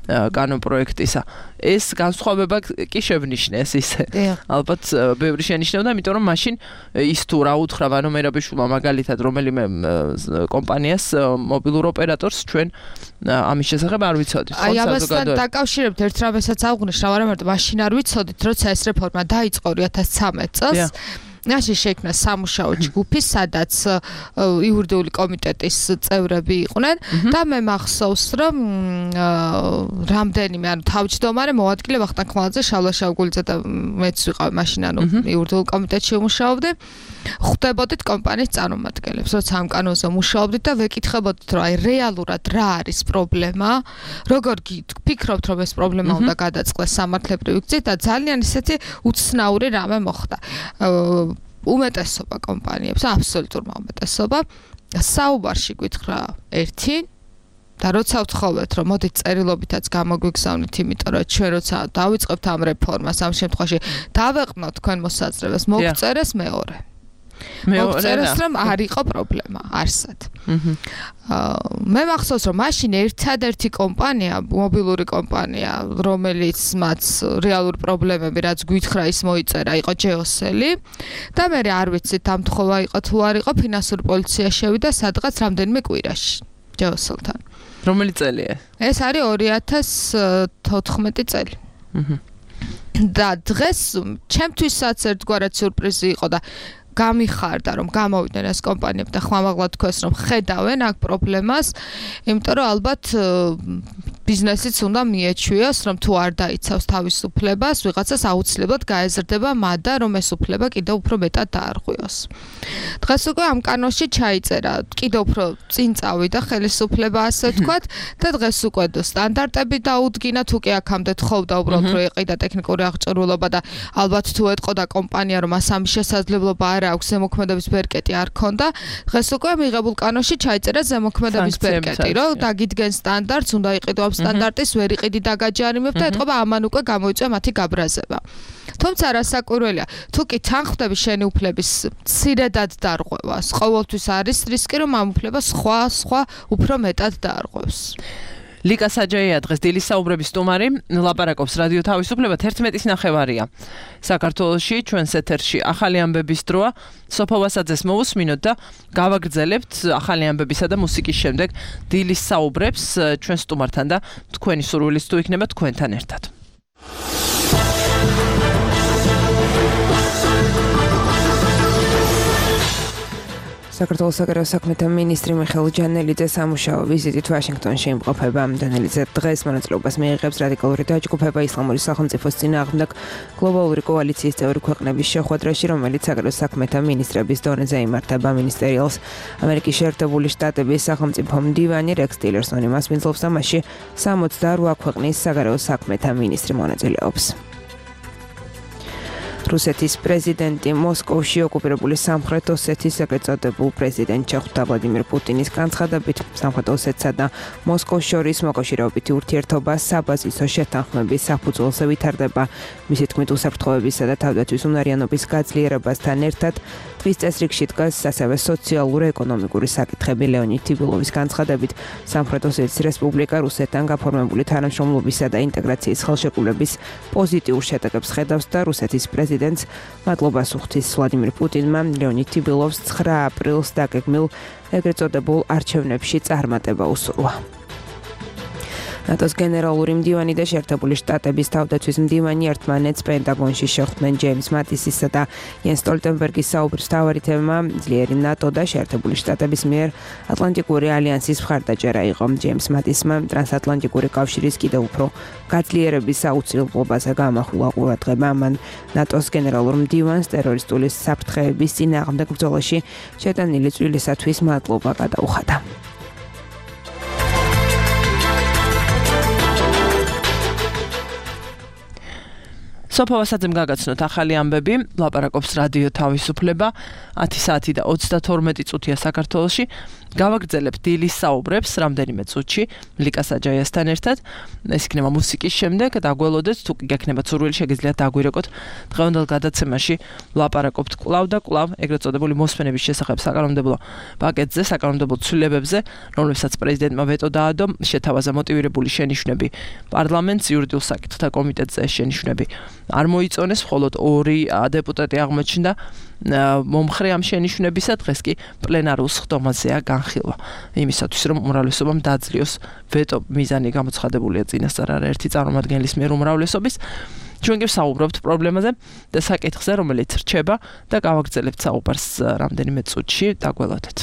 კანონ პროექტისა ეს განსხვავება კი შევნიშნეს ისე ალბათ ბევრი შენიშნებოდა იმიტომ რომ მაშინ ის თუ რა უთხრა ვანო მერაბიშვილმა მაგალითად რომელიმე კომპანიას მობილურ ოპერატორს ჩვენ ამის შესახებ არ ვიცოდით აი ამასთან დაკავშირებით ერთ რამესაც აღვნიშნე რა არა მარტო მაშინ არ ვიცოდით როცა ეს რეფორმა დაიწყო ორი ათას ცხრამეტ წელს ნაში შექმნა სამუშაო ჯგუფი, სადაც იურიდიული კომიტეტის წევრები იყვნენ და მე მახსოვს, რომ რამდენიმე ანუ თავმჯდომარე მოადგილე ვახტანგ ხმალაძე, შალვა შავგულიძე და მეც ვიყავ მაშინ ანუ იურიდიულ კომიტეტში ვმუშაობდი. ხვდებოდით კომპანიის წარმომადგენლებს, როცა ამ კანონზე მუშაობდით და ვეკითხებოდით, რომ აი რეალურად რა არის პრობლემა, როგორ ფიქრობთ, რომ ეს პრობლემა უნდა გადაწყდეს სამართლებრივი გზით და ძალიან ისეთი უცნაური რამე მოხდა. უმეტესობა კომპანიებს, აბსოლუტურმა უმეტესობა საუბარში გითხრა ერთი და როცა ვთხოვეთ, რომ მოდით წერილობითაც გამოგვიგზავნით, იმიტომ რომ ჩვენ როცა დავიწყებთ ამ რეფორმას, ამ შემთხვევაში დავეყნოთ თქვენ მოსაზრებას, მოგწერეს მეორე. მოგწეროს რომ არ იყო პრობლემა არსად. მე მახსოვს რომ მაშინ ერთადერთი კომპანია, მობილური კომპანია, რომელიც მათ რეალური პრობლემები რაც გვითხრა ის მოიწერა, იყო ჯეოსელი და მე არ ვიცით ამ თხოვა იყო თუ არ იყო, ფინანსური პოლიცია შევიდა სადღაც რამდენიმე კვირაში ჯეოსელთან. რომელი წელია? ეს არის ორი ათას თოთხმეტი წელი. და დღეს ჩემთვისაც ერთგვარად სიურპრიზი იყო და გამიხარდა რომ გამოვიდნენ ეს კომპანიები და ხმამაღლა თქვეს რომ ხედავენ აქ პრობლემას, იმიტომ რომ ალბათ ბიზნესიც უნდა მიეჩვიოს, რომ თუ არ დაიცავს თავისუფლებას, ვიღაცას აუცილებლად გაეზრდება მადა, რომ ეს უფლება კიდევ უფრო მეტად დაარღვიოს. დღეს უკვე ამ კანონში ჩაიწერა, კიდევ უფრო წინ წავიდა ხელისუფლება, ასე ვთქვათ, და დღეს უკვე სტანდარტები დაუდგინა, თუ კი აქამდე თხოვდა უბრალოდ რომ ეყიდა ტექნიკური აღჭურვილობა და ალბათ თუ ეტყოდა კომპანია რომ მას ამის შესაძლებლობა არ აქვს, ზემოქმედების ბერკეტი არ ქონდა, დღეს უკვე მიღებულ კანონში ჩაიწერა ზემოქმედების ბერკეტი, რომ დაგიდგენ სტანდარტს, უნდა იყიდო ამ სტანდარტის ვერ იყიდი დაგაჯარიმებ და ეთყობა ამან უკვე გამოიწვია მათი გაბრაზება. თუმცა რასაკვირველია, თუ კი თანხმდები შენი უფლების მცირედად დარღვევას, ყოველთვის არის რისკი რომ ამ უფლებას სხვა სხვა უფრო მეტად დაარღვევს. ლიკა საჯაია დღეს დილის საუბრების სტუმარი, ლაპარაკობს რადიო თავისუფლება თერთმეტის ნახევარია. საქართველოში ჩვენს ეთერში ახალი ამბების დროა, სოფო ვასაძეს მოვუსმინოთ და გავაგრძელებთ ახალი ამბებისა და მუსიკის შემდეგ დილის საუბრებს ჩვენ სტუმართან და თქვენი სურვილის თუ იქნება თქვენთან ერთად. საქართველოს საგარეო საქმეთა მინისტრი მიხეილ ჯანელიძე სამუშაო ვიზიტით ვაშინგტონში იმყოფება. ჯანელიძე დღეს მონაწილეობას მიიღებს რადიკალური დაჯგუფება ისლამური სახელმწიფოს წინააღმდეგ გლობალური კოალიციის წევრი ქვეყნების შეხვედრაში, რომელიც საგარეო საქმეთა მინისტრების დონეზე იმართება. მინისტერიალს ამერიკის შეერთებული შტატების სახელმწიფო მდივანი რექს ტილერსონი მასპინძლობს და მასში სამოცდაორ ქვეყნის საგარეო საქმეთა მინისტრი მონაწილეობს. რუსეთის პრეზიდენტი მოსკოვში ოკუპირებული სამხრეთ ოსეთის ეგრეთ წოდებულ პრეზიდენტ ჩეხთა ვლადიმირ პუტინის განცხადებით, სამხრეთ ოსეთსა და მოსკოვს შორის მოკავშირეობითი ურთიერთობა საბაზისო შეთანხმების საფუძველზე ვითარდება. მისი თქმით, უსაფრთხოებისა და თავდაცვის უნარიანობის გაძლიერებასთან ერთად ტყის წესრიგში დგას ასევე სოციალურ-ეკონომიკური საკითხები. ლეონიდ ტიბილოვის განცხადებით, სამხრეთ ოსეთის რესპუბლიკა რუსეთთან გაფორმებული თანამშრომლობისა და ინტეგრაციის ხელშეკრულების პოზიტიურ შედეგებს ხედავს და რუსეთის პრეზიდენტს მადლობას უხდის ვლადიმირ პუტინმა ლეონიდ ტიბილოვს ცხრა აპრილს დაგეგმილ ეგრეთ წოდებულ არჩევნებში წარმატება უსურვა. ნატოს გენერალური მდივანი და შეერთებული შტატების თავდაცვის მდივანი ერთმანეთს პენტაგონში შეხვდნენ. ჯეიმს მატისისა და იენს სტოლტენბერგის საუბრის მთავარი თემა ძლიერი ნატო და შეერთებული შტატების მიერ ატლანტიკური ალიანსის მხარდაჭერა იყო. ჯეიმს მატისმა ტრანსატლანტიკური კავშირის კიდევ უფრო გაძლიერების აუცილებლობაზე გამახვილა ყურადღება. მან ნატოს გენერალურ მდივანს ტერორისტული საფრთხეების წინააღმდეგ ბრძოლაში შეტანილი წვლილისათვის მადლობა გადაუხადა. სოფო ვასაძემ გაგაცნოთ ახალი ამბები, ლაპარაკობს რადიო თავისუფლება, ათი საათი და ოცდათორმეტი წუთია საქართველოში. გავაგრძელებთ დილის საუბრებს რამდენიმე წუთში ლიკა საჯაიასთან ერთად. ეს იქნება მუსიკის შემდეგ, დაგველოდეთ, თუ გექნებათ სურვილი, შეგიძლიათ დაგვირეკოთ. დღევანდელ გადაცემაში ლაპარაკობთ კვლავ და კვლავ ეგრეთ წოდებული მოსმენების შესახებ საკანონმდებლო პაკეტზე, საკანონმდებლო ცვლილებებზე, რომლებსაც პრეზიდენტმა ვეტო დაადო, შეთავაზა მოტივირებული შენიშვნები პარლამენტს იურიდიულ საკითხთა კომიტეტზე შენიშვნები არ მოიწონეს, მხოლოდ ორი დეპუტატი აღმოჩნდა მომხრე ამ შენიშვნებისა. დღეს კი პლენარულ სხდომაზეა განხილვა იმისათვის, რომ უმრავლესობამ დააძლიოს ვეტო მიზანი გამოცხადებულია წინასწარ არაერთი წარმომადგენლის მიერ უმრავლესობის. ჩვენ კი ვსაუბრობთ პრობლემაზე და საკითხზე, რომელიც რჩება და გავაგრძელებთ საუბარს რამდენიმე წუთში, დაგველოდეთ.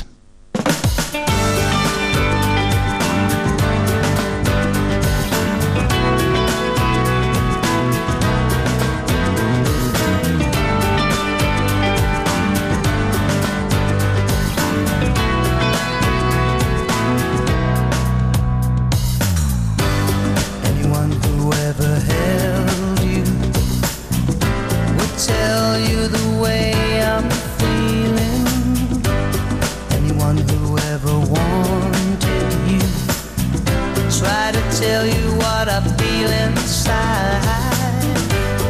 Tell you what I feel inside.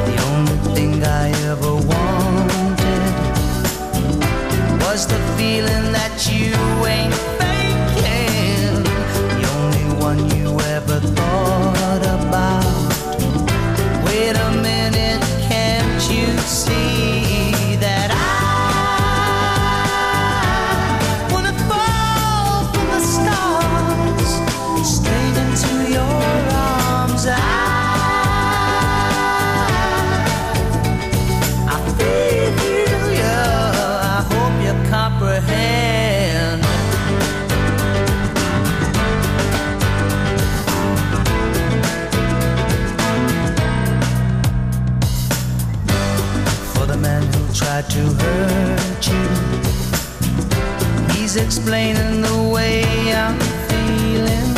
The only thing I ever wanted try to hurt you. He's explaining the way I'm feeling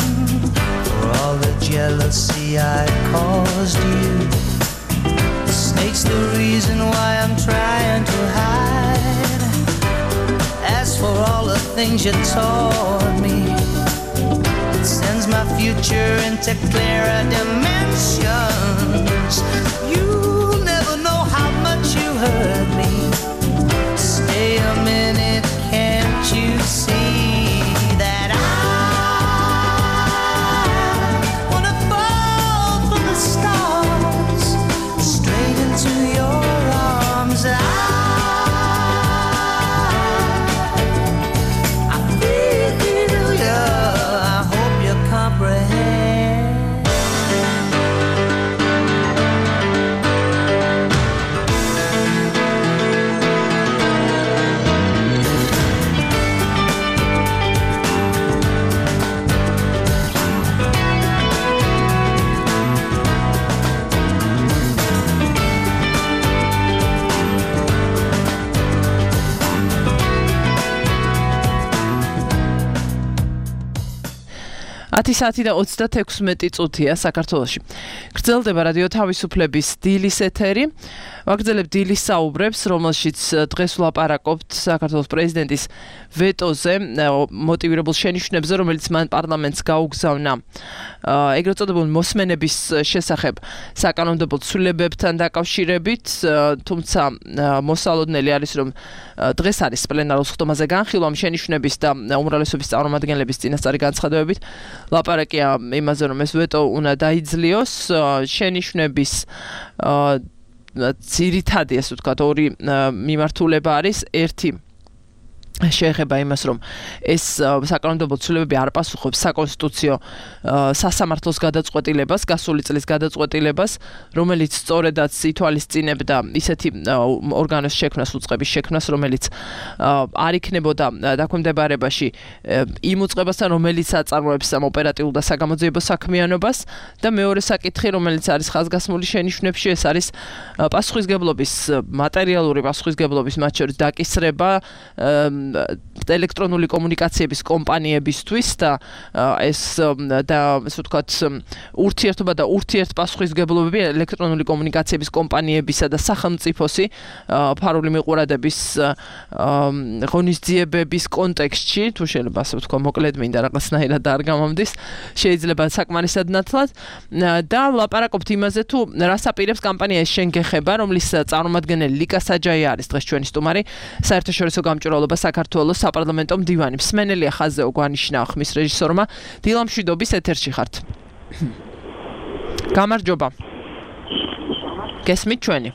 for all the jealousy I caused you. The snake's the reason why I'm trying to hide. As for all the things you taught me, it sends my future into clearer dimensions. You'll never know how much you hurt me. Stay a minute, can't you see that I wanna fall from the stars straight into your arms? I ათი საათი და ოცდათექვსმეტი წუთია საქართველოში. გრძელდება რადიო თავისუფლების დილის ეთერი. ვაგრძელებთ დილის საუბრებს, რომელშიც დღეს ვლაპარაკობთ საქართველოს პრეზიდენტის ვეტოზე, მოტივირებულ შენიშვნებზე, რომელიც მან პარლამენტს გაუგზავნა ეგრეთ წოდებულ მოსმენების შესახებ საკანონმდებლო ცვლილებებთან დაკავშირებით, თუმცა მოსალოდნელი არის, რომ დღეს არის პლენარულ სხდომაზე განხილვა შენიშვნების და უმრავლესობის წარმომადგენლების წინასწარი განცხადებებით. ლაპარაკია იმაზე, რომ ეს ვეტო უნდა დაიძლიოს შენიშვნების ძირითადი, ასე ვთქვათ, ორი მიმართულება არის. ერთი შეეხება იმას, რომ ეს საკანონმდებლო ცვლილებები არ პასუხობს საკონსტიტუციო სასამართლოს გადაწყვეტილებას, გასული წლის გადაწყვეტილებას, რომელიც სწორედაც ითვალისწინებდა ისეთი ორგანოს შექმნას, უწყების შექმნას, რომელიც არ იქნებოდა დაქვემდებარებაში იმ უწყებასთან, რომელიც აწარმოებს ამ ოპერატიულ და საგამოძიებო საქმიანობას. და მეორე საკითხი, რომელიც არის ხაზგასმული შენიშვნებში, ეს არის პასუხისგებლობის, მატერიალური პასუხისგებლობის, მათ შორის დაკისრება ელექტრონული კომუნიკაციების კომპანიებისთვის და ეს და ასე ვთქვათ ურთიერთობა და ურთიერთპასუხისგებლობები ელექტრონული კომუნიკაციების კომპანიებისა და სახელმწიფოსი ფარული მიყურადების ღონისძიებების კონტექსტში, თუ შეიძლება ასე ვთქვა, მოკლედ მინდა რაღაცნაირად არ გამომდის, შეიძლება საკმარისად ნათლად და ვლაპარაკობთ იმაზე, თუ რას აპირებს კამპანია ეს შენ გეხება, რომლის წარმომადგენელი ლიკა საჯაია არის დღეს ჩვენი სტუმარი, საერთაშორისო გამჭვირვალობა საქართველოს საპარლამენტო მდივანი. მსმენელია ხაზეო გვანიშნა ხმის რეჟისორმა. დილამშვიდობის ეთერში ხართ. გამარჯობა. გესმით ჩვენი?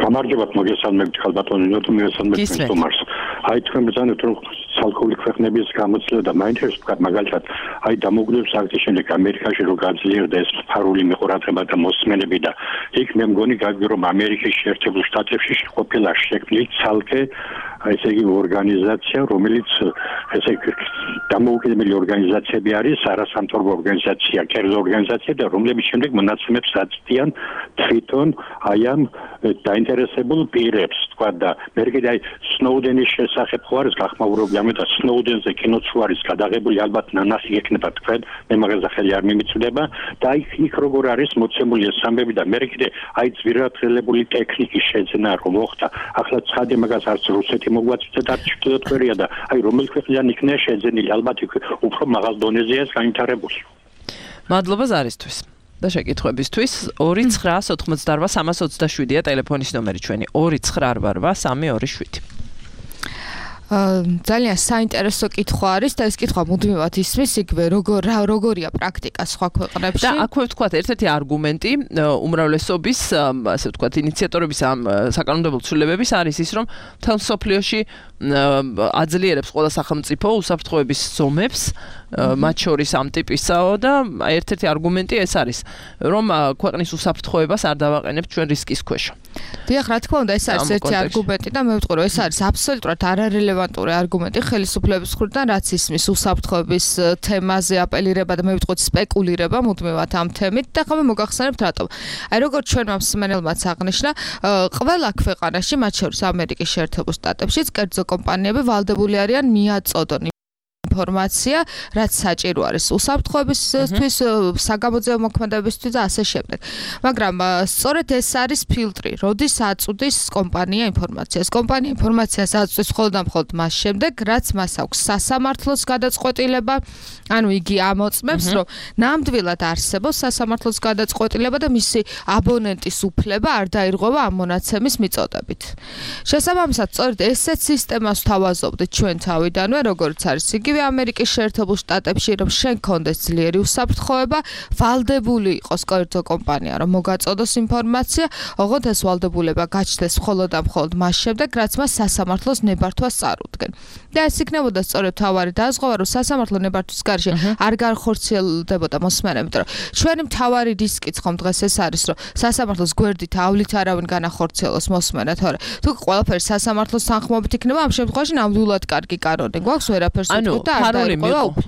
გამარჯობა, მოგესალმებით ხალბატონო, თუ მოგესალმებით სტუმარს. აი თქვენ ბრძანეთ, რომ ცალკეული ქვეყნების გამოცდილება და მაინტერესებს ვთქვათ, მაგალითად, აი დამოუკიდებლობის აქტის შემდეგ ამერიკაში რო გაძლიერდა ეს ფარული მიყურადღება და მოსმენები და იქ მე მგონი გაგვი რომ ამერიკის შეერთებულ შტატებში ყოფილა შექმნილი ცალკე ესე იგი ორგანიზაცია, რომელიც ესე იგი დამოუკიდებელი ორგანიზაციები არის, არასამთავრობო ორგანიზაცია, კერძო ორგანიზაცია და რომლების შემდეგ მონაცემებს აწვდიან თვითონ აი ამ დაინტერესებულ პირებს, თქვა და მე კიდე აი სნოუდენის შესახებ ხო არის გახმაურებული, ამიტომ სნოუდენზე კინოც არის გადაღებული, ალბათ ნანახი ექნება თქვენ, მე მაგაზე ხელი არ მიმიწვდება და აი იქ როგორ არის მოცემული ეს ამბები და მე კიდე აი ძვირადღირებული ტექნიკის შეძენა რომ მოხდა, ახლა ცხადია მაგას არც რუსეთი მოგვაწვდეთ არც ჩრდილოეთკორეა და აი რომელი ქვეყნიდან იქნება შეძენილი, ალბათ უფრო მაღალ დონეზეა ეს განვითარებული. მადლობა ზარისთვის. და შეკითხვებისთვის ორი ცხრა ოთხმოცდაოთხ სამას ოცდაშვიდია ტელეფონის ნომერი ჩვენი ორი ცხრა რვა სამი ორი შვიდი. ძალიან საინტერესო კითხვა არის და ეს კითხვა მუდმივად ისმის იგივე როგორ როგორია პრაქტიკა სხვა ქვეყნებში. და აქვე ვთქვათ ერთ-ერთი არგუმენტი უმრავლესობის ასე ვთქვათ ინიციატორების ამ საკანონმდებლო ცვლილებების არის ის რომ მთელ მსოფლიოში აძლიერებს ყველა სახელმწიფო უსაფრთხოების ზომებს მათ შორის ამ ტიპისაო და ერთ-ერთი არგუმენტი ეს არის რომ ქვეყნის უსაფრთხოებას არ დავაყენებთ ჩვენ რისკის ქვეშ. დიახ, რა თქმა უნდა, ეს არის ერთი არგუმენტი და მე ვიტყვი რომ ეს არის აბსოლუტურად არარელევანტი რელევანტური არგუმენტი ხელისუფლების მხრიდან, რაც ისმის უსაფრთხოების თემაზე აპელირება და მე ვიტყვით სპეკულირება მუდმივად ამ თემით და ხომ მოგახსენებთ რატომ. აი როგორც ჩვენმა მსმენელმაც აღნიშნა, ყველა ქვეყანაში, მათ შორის ამერიკის შეერთებულ შტატებშიც, კერძო კომპანიები ვალდებული არიან მიაწოდონ ინფორმაცია, რაც საჭირო არის უსაფრთხოებისთვის, საგამოძიებო მოქმედებისთვის და ასე შემდეგ. მაგრამ სწორედ ეს არის ფილტრი, როდის აწუდის კომპანია ინფორმაციას. კომპანია ინფორმაციას აწუდის მხოლოდ და მხოლოდ მას შემდეგ, რაც მას აქვს სასამართლოს გადაწყვეტილება, ანუ იგი ამოწმებს, რომ ნამდვილად არსებობს სასამართლოს გადაწყვეტილება და მისი აბონენტის უფლება არ დაირღვევა ამ მონაცემის მიწოდებით. შესაბამისად, სწორედ ესეთ სისტემას ვთავაზობდით ჩვენ თავიდანვე, როგორც არის იგივე ამერიკის შეერთებულ შტატებში, რომ შენ კონდეს ძლიერი უსაფრთხოება, ვალდებული იყოს კერძო კომპანია, რომ მოგაწოდოს ინფორმაცია, ოღონდ ეს ვალდებულება გაჩნდეს მხოლოდ და მხოლოდ მას შემდეგ, რაც მას სასამართლოს ნებართვას წარუდგენ. და ეს იქნებოდა სწორედ თავარი დაზღვევა, რომ სასამართლო ნებართვის გარშე არ განხორციელდებოდა მოსმენებით, რომ ჩვენი მთავარი რისკიც ხომ დღეს ეს არის, რომ სასამართლოს გვერდით ავლით არავინ განახორციელოს მოსმენა, თორე თუ ყველაფერი სასამართლოს თანხმობით იქნება, ამ შემთხვევაში ნამდვილად კარგი კანონი გვაქვს, ვერაფერს ანუ ფარული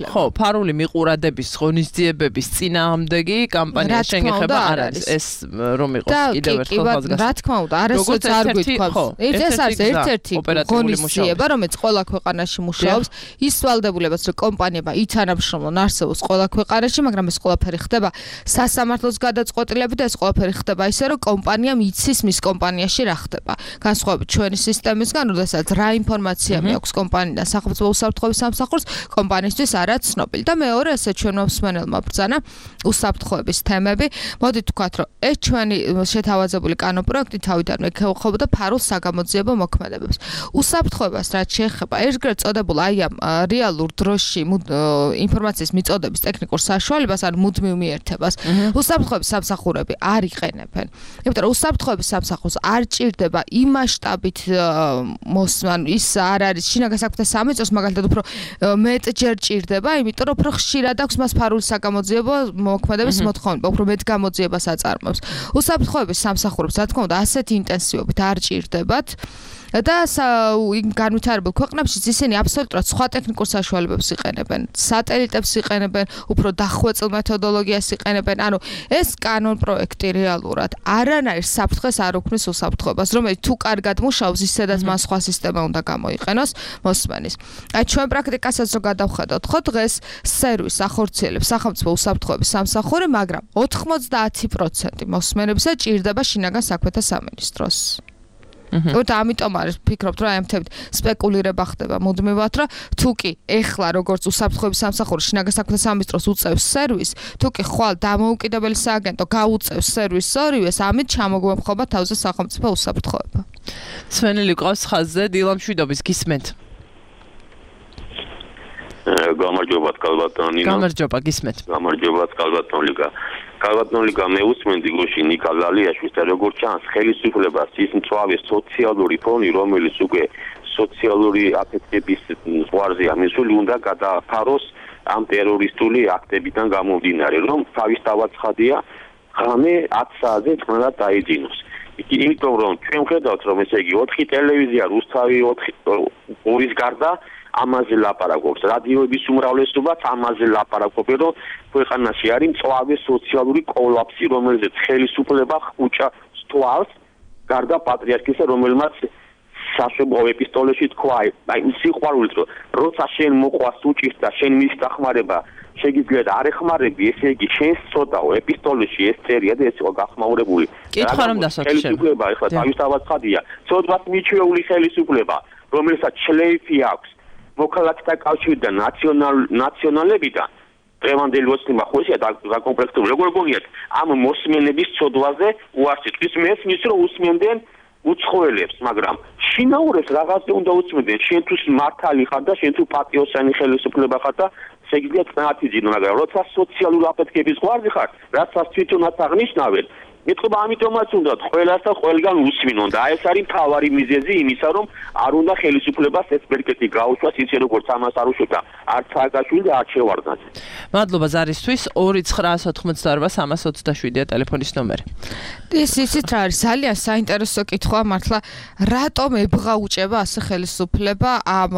ხო, ფარული მიყურადების ღონისძიებების წინააღმდეგი კამპანია შეგეხება არ არის ეს რომ იყოს კიდევ ერთხელ ხაზგასმა. რა თქმა უნდა, არასოდეს არ გვითხოვს. ეს არის ერთ-ერთი ღონისძიება, რომელიც ყველა ქვეყანაში მუშაობს, ის ვალდებულებას, რომ კომპანიებმა ითანამშრომლონ არსებობს ყველა ქვეყანაში, მაგრამ ეს ყველაფერი ხდება სასამართლოს გადაწყვეტილებით და ეს ყველაფერი ხდება ისე, რომ კომპანიამ იცის მის კომპანიაში რა ხდება. განსხვავებით ჩვენი სისტემისგან, როდესაც რა ინფორმაცია მეაქვს კომპანიიდან სახელმწიფო უსაფრთხოების სამსახურს, კომპანიისთვის არა ცნობილი. და მეორე, ესე ჩვენმა მსმენელმა ბრძანა უსაფრთხოების თემები. მოდით ვთქვათ, რომ ეს ჩვენი შეთავაზებული კანონპროექტი თავიდანვე ეხებოდა ფარულ საგამოძიებო მოქმედებებს. უსაფრთხოებას რაც შეეხება ერთგვარ წოდებულ აი ამ რეალურ დროში ინფორმაციის მიწოდების ტექნიკურ საშუალებას, ან მუდმივ მიერთებას, უსაფრთხოების სამსახურები არ იყენებენ. იმიტომ რომ უსაფრთხოების სამსახურს არ ჭირდება იმ მასშტაბით მოსმან, ის არ არის შინაგან საქმეთა სამეწოს მაგალითად უფრო მეტჯერ ჭირდება, იმიტომ რომ უფრო ხშირად აქვს მას ფარული საგამოძიებო მოქმედების მოთხოვნება, უფრო მეტ გამოძიებას აწარმოებს. უსაფრთხოების სამსახურებს, რა თქმა უნდა, ასეთი ინტენსივობით არ ჭირდებათ. და განვითარებულ ქვეყნებში ისინი აბსოლუტურად სხვა ტექნიკურ საშუალებებს იყენებენ, სატელიტებს იყენებენ, უფრო დახვეწილ მეთოდოლოგიას იყენებენ. ანუ ეს კანონპროექტი რეალურად არანაირ საფრთხეს არ უქმნის უსაფრთხოებას, რომელიც თუ კარგად მუშაობს, ისედაც მან სხვა სისტემა უნდა გამოიყენოს მოსმენის. აი ჩვენ პრაქტიკასაც რო გადავხედოთ, ხო დღეს სერვისს ახორციელებს სახელმწიფო უსაფრთხოების სამსახური, მაგრამ ოთხმოცდაათი პროცენტი მოსმენებისა ჭირდება შინაგან საქმეთა სამინისტროს. და ამიტომ არის ვფიქრობთ, რომ აი ამ თემით სპეკულირება ხდება მუდმივად, რომ თუ კი ეხლა როგორც უსაფრთხოების სამსახური შინაგან საქმეთა სამინისტროს უწევს სერვისს, თუ კი ხვალ დამოუკიდებელი სააგენტო გაუწევს სერვისს ორივეს, ამით ჩამოგვემხობა თავზე სახელმწიფო უსაფრთხოება. სვენელი ყავს ხაზზე, დილა მშვიდობის გისმენთ. გამარჯობა კალბატონინა. გამარჯობა გისმენთ. გამარჯობა კალბატონიკა. კალბატონიკა მე usmენდი გოში ნიკა ლალიაშვილს და როგორც ჩანს ხელისუფლებას ის მწვავე სოციალური ფონი, რომელიც უკვე სოციალური აფეთქების ზღვარზეა მისული, უნდა გადააფაროს ამ ტერორისტული აქტებიდან გამომდინარე, რომ თავისთავად ცხადია ღამე ათი საათზე წყნარად დაიძინოს. იმიტომ რომ ჩვენ ვხედავთ, რომ ესე იგი ოთხი ტელევიზია რუსთავი ორის გარდა ამაზე ლაპარაკობს. რადიოების უმრავლესობაც ამაზე ლაპარაკობენ, რომ ქვეყანაში არის მწვავე სოციალური კოლაფსი, რომელზეც ხელისუფლება ხუჭა სტვალს, გარდა პატრიარქისა, რომელმაც საშობო ეპისტოლეში თქვა, აი სიყვარულით, რომ როცა შენ მოყვას უჭირს და შენ მის დახმარება შეგიძლია არ ეხმარები, ესე იგი შენს ცოდაო ეპისტოლეში ეს წერია და ეს იყო გახმაურებული. კითხვა რომ დასვათ შენ. ხელისუფლება ეხლა თავისთავად ცხადია. ცოდვას მიჩვეული ხელისუფლება, რომელსაც შლეიფი აქვს მოქალაქეთა კავშირიდან ნაციონალ ნაციონალებიდან დღევანდელი ოცნება ხოშია დაკომპლექტებული. როგორ გონიათ ამ მოსმენების ცოდვაზე უარსიტყვის მესმის რომ უსმენდნენ უცხოელებს, მაგრამ შინაურებს რაღაცზე უნდა უსმენდნენ. შენ თუ მართალი ხარ და შენ თუ პატიოსანი ხელისუფლება ხარ და შეგიძლია წნათი ძინო, მაგრამ როცა სოციალური აფეთქების ზღვარზე ხარ, რასაც თვითონაც აღნიშნავენ, მეთქობა ამიტომაც უნდა ყველას და ყველგან უსვინონ და ეს არის მთავარი მიზეზი იმისა, რომ არ უნდა ხელისუფლებას ეს პერკეტი გაუშვას ისე როგორც ამას არ უშვებდა არც სააკაშვილი და არც შევარდნაძე. მადლობა ზარისთვის ორი ცხრა ოცდაოთხმოცდაორბა სამას ოცდაშვიდია ტელეფონის ნომერი. ის ისიც რა არის ძალიან საინტერესო კითხვა მართლა რატომ ებღაუჭება ასე ხელისუფლება ამ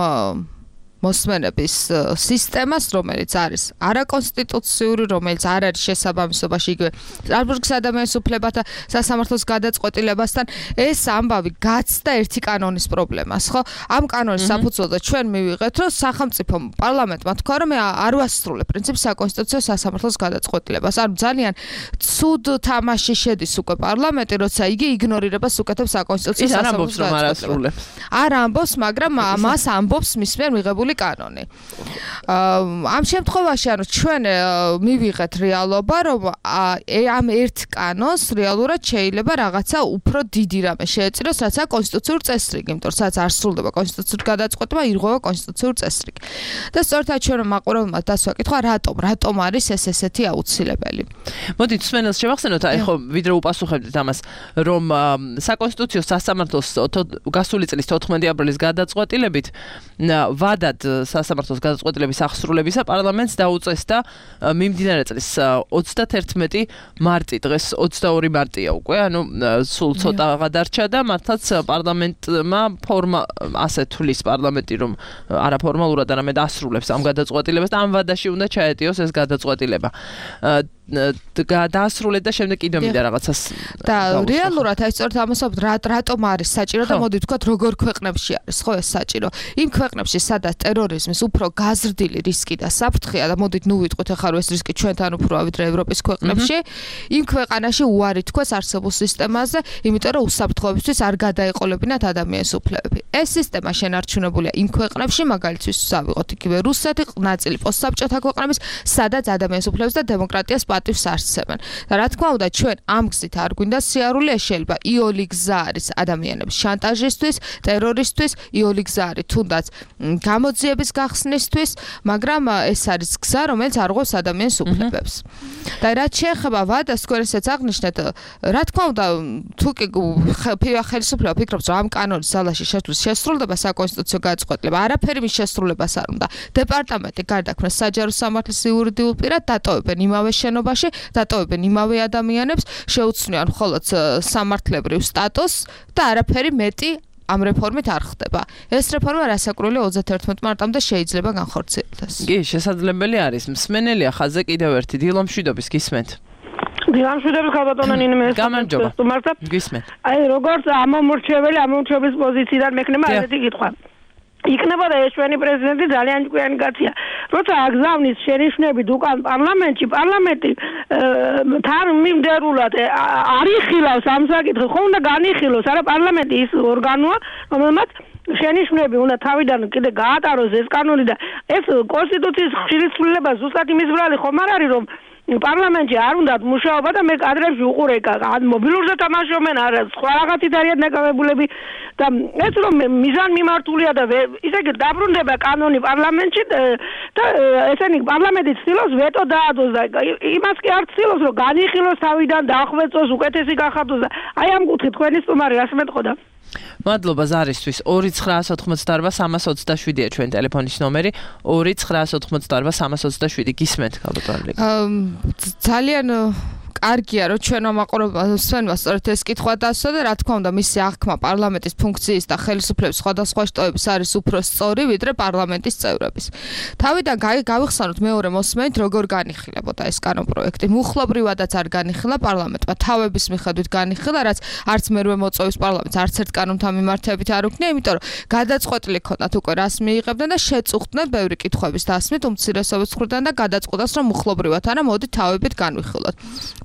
მოსმენების სისტემას, რომელიც არის არაკონსტიტუციური, რომელიც არ არის შესაბამისობაში იგივე სტრასბურგის ადამიანის უფლებათა სასამართლოს გადაწყვეტილებასთან, ეს ამბავი გაცდა ერთი კანონის პრობლემას, ხო? ამ კანონის საფუძველზე ჩვენ მივიღეთ, რომ სახელმწიფო პარლამენტმა თქვა, რომ მე არ ვასრულებ პრინციპს საკონსტიტუციო სასამართლოს გადაწყვეტილებას. ანუ ძალიან ცუდ თამაში შედის უკვე პარლამენტი, როცა იგი იგნორირებას უკეთებს საკონსტიტუციო სასამართლოს გადაწყვეტილებას. არ ამბობს, მაგრამ მას ამბობს მის მიერ მიღებული კანონი. ამ შემთხვევაში ანუ ჩვენ მივიღეთ რეალობა, რომ ამ ერთ კანონს რეალურად შეიძლება რაღაცა უფრო დიდი რამე შეეწიროს, რაც არის კონსტიტუციური წესრიგი, იმიტომ რომ სადაც არ სრულდება კონსტიტუციური გადაწყვეტილება, ირღვევა კონსტიტუციური წესრიგი. და სწორედ ჩვენ მაყურებელმა დასვა კითხვა, რატომ, რატომ არის ეს ესეთი აუცილებელი? მოდით სვენელს შევახსენოთ, აი ხო ვიდრე უპასუხებდით ამას, რომ საკონსტიტუციო სასამართლოს გასული წლის თოთხმეტი აპრილის გადაწყვეტილებით ვადად სასამართლოს გადაწყვეტილების აღსრულებისა პარლამენტს დაუწესდა მიმდინარე წლის ოცდაათერთმეტი მარტი, დღეს ოცდაორი მარტია უკვე, ანუ სულ ცოტა გადარჩა და მართლაც პარლამენტმა ფორმა ასე თulis პარლამენტი რომ არაფორმალურად არამედ ასრულებს ამ გადაწყვეტილებას და ამ ვადაში უნდა ჩაეტიოს ეს გადაწყვეტილება. დაასრულეთ და შემდეგ კიდევ მინდა რაღაცას და რეალურად აი სწორედ ამასაც რატომ არის საჭირო და მოდი ვთქვათ როგორ ქვეყნებში არის ხო ეს საჭირო იმ ქვეყნებში სადაც ტერორიზმის უფრო გაზრდილი რისკი და საფრთხეა და მოდით ნუ ვიტყვით ახლა რომ ეს რისკი ჩვენთან უფრო ვიდრე ევროპის ქვეყნებში იმ ქვეყანაში უარი თქვას არსებულ სისტემაზე იმიტომ რომ უსაფრთხოებისთვის არ გადაეყოლებინათ ადამიანის უფლებები ეს სისტემა შენარჩუნებულია იმ ქვეყნებში მაგალითად ავიღოთ იგივე რუსეთი ნაწილი პოსტსაბჭოთა ქვეყნების სადაც ადამიანის უფლებებს და დემოკრატიას პატივს არსებენ და რა თქმა უნდა ჩვენ ამ გზით არ გვინდა სიარული შეიძლება იოლი გზა არის ადამიანების შანტაჟისთვის ტერორისთვის იოლი გზა არის თუნდაც გამოძიების გახსნისთვის მაგრამ ეს არის გზა რომელიც არ ღვევს ადამიანის უფლებებს და რაც შეეხება ვადას თქვენსაც აღნიშნეთ რა თქმა უნდა თუ კი ხელისუფლება ფიქრობს რომ ამ კანონის ძალაში შესვლის შესრულდება საკონსტიტუციო გადაწყვეტილება არაფერი მის შესრულებას არ უნდა დეპარტამენტი გარდაქმნეს საჯარო სამართლის იურიდიულ პირად დატოვებენ იმავე შენობაში დატოვებენ იმავე ადამიანებს შეუცვლიან მხოლოდ სამართლებრივ სტატუსს და არაფერი მეტი ამ რეფორმით არ ხდება. ეს რეფორმა რასაკურველია ოცდაათერთმეტ მარტამდე შეიძლება განხორციელდეს. კი, შესაძლებელი არის. მსმენელია ხაზზე კიდევ ერთი დილო მშვიდობის გისმენთ. დილო მშვიდობის ხალბატონო ნინე გამარჯობა. გისმენთ. აი როგორც ამომრჩეველი ამომრჩევის პოზიციიდან მექნება ესეთი კითხვა. იქნებოდა ეს ჩვენი პრეზიდენტი ძალიან ჭკვიანი კაცია. როცა აგზავნის შენიშვნებით უკან პარლამენტში, პარლამენტი თან მიმდევრულად არ იხილავს ამ საკითხს, ხო უნდა განიხილოს, არა პარლამენტი ის ორგანოა, რომელმაც შენიშვნები უნდა თავიდან კიდე გაატაროს ეს კანონი და ეს კონსტიტუციის ხშირი ცვლილება ზუსტად იმის ბრალი ხომ არ არის რომ პარლამენტში არ უნდათ მუშაობა და მე კადრებში უყურე მობილურზე თამაშობენ არა სხვა რაღაცით არიან დაკავებულები და ეს რომ მიზან მიმართულია და ისე იგი დაბრუნდება კანონი პარლამენტში და ესენი პარლამენტი ცდილობს ვეტო დაადოს და იმას კი არ ცდილობს რომ განიხილოს თავიდან დაახვეწოს უკეთესი გახადოს და აი ამ კუთხით თქვენი სტუმარი რას მეტყოდა მადლობა ზარისთვის ორი ცხრა ოცდაოთხმოცდაორბა სამას ოცდაშვიდია ჩვენ ტელეფონის ნომერი ორი ცხრა ოცდაოთხმოცდაორბა სამას ოცდაშვიდი გისმენთ ხალბატონო ძალიან კარგია რომ ჩვენ ამაყურებელს სვენმა სწორედ ეს კითხვა დასვა და რა თქმა უნდა მისი აღქმა პარლამენტის ფუნქციის და ხელისუფლების სხვადასხვა შტოების არის უფრო სწორი ვიდრე პარლამენტის წევრების. თავიდან გავიხსენოთ მეორე მოსმენით როგორ განიხილებოდა ეს კანონპროექტი. მუხლობრივადაც არ განიხილა პარლამენტმა, თავების მიხედვით განიხილა, რაც არც მერვე მოწვევის პარლამენტს არც ერთ კანონთან მიმართებით არ უქნია, იმიტომ რომ გადაწყვეტილი ქონდათ უკვე რას მიიღებდნენ და შეწუხდნენ ბევრი კითხვების დასმით უმცირესობის მხრიდან და გადაწყვეტას რომ მუხლობრივად არა მოდი თავებით განვიხილოთ.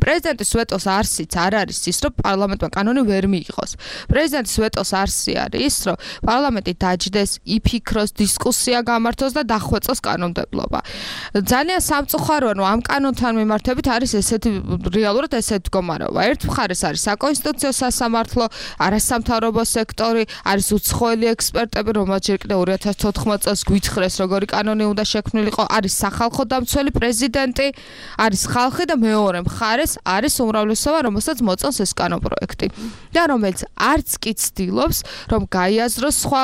პრეზიდენტის ვეტოს არსიც არ არის ის, რომ პარლამენტმა კანონი ვერ მიიღოს. პრეზიდენტის ვეტოს არსი არის ის, რომ პარლამენტი დაჯდეს, იფიქროს, დისკუსია გამართოს და დახვეწოს კანონმდებლობა. ძალიან სამწუხაროა, რომ ამ კანონთან მიმართებით არის ესეთი რეალურად ესეთი მდგომარეობა. ერთ მხარეს არის საკონსტიტუციო სასამართლო, არასამთავრობო სექტორი, არის უცხოელი ექსპერტები, რომელთაც ჯერ კიდევ ორი ათას თოთხმეტ წელს გვითხრეს, როგორი კანონი უნდა შექმნილიყო, არის სახალხო დამცველი პრეზიდენტი, არის ხალხი და მეორე მხარეს არის უმრავლესობა, რომელსაც მოწონს ეს კანონპროექტი და რომელიც არც კი ცდილობს, რომ გაიაზროს სხვა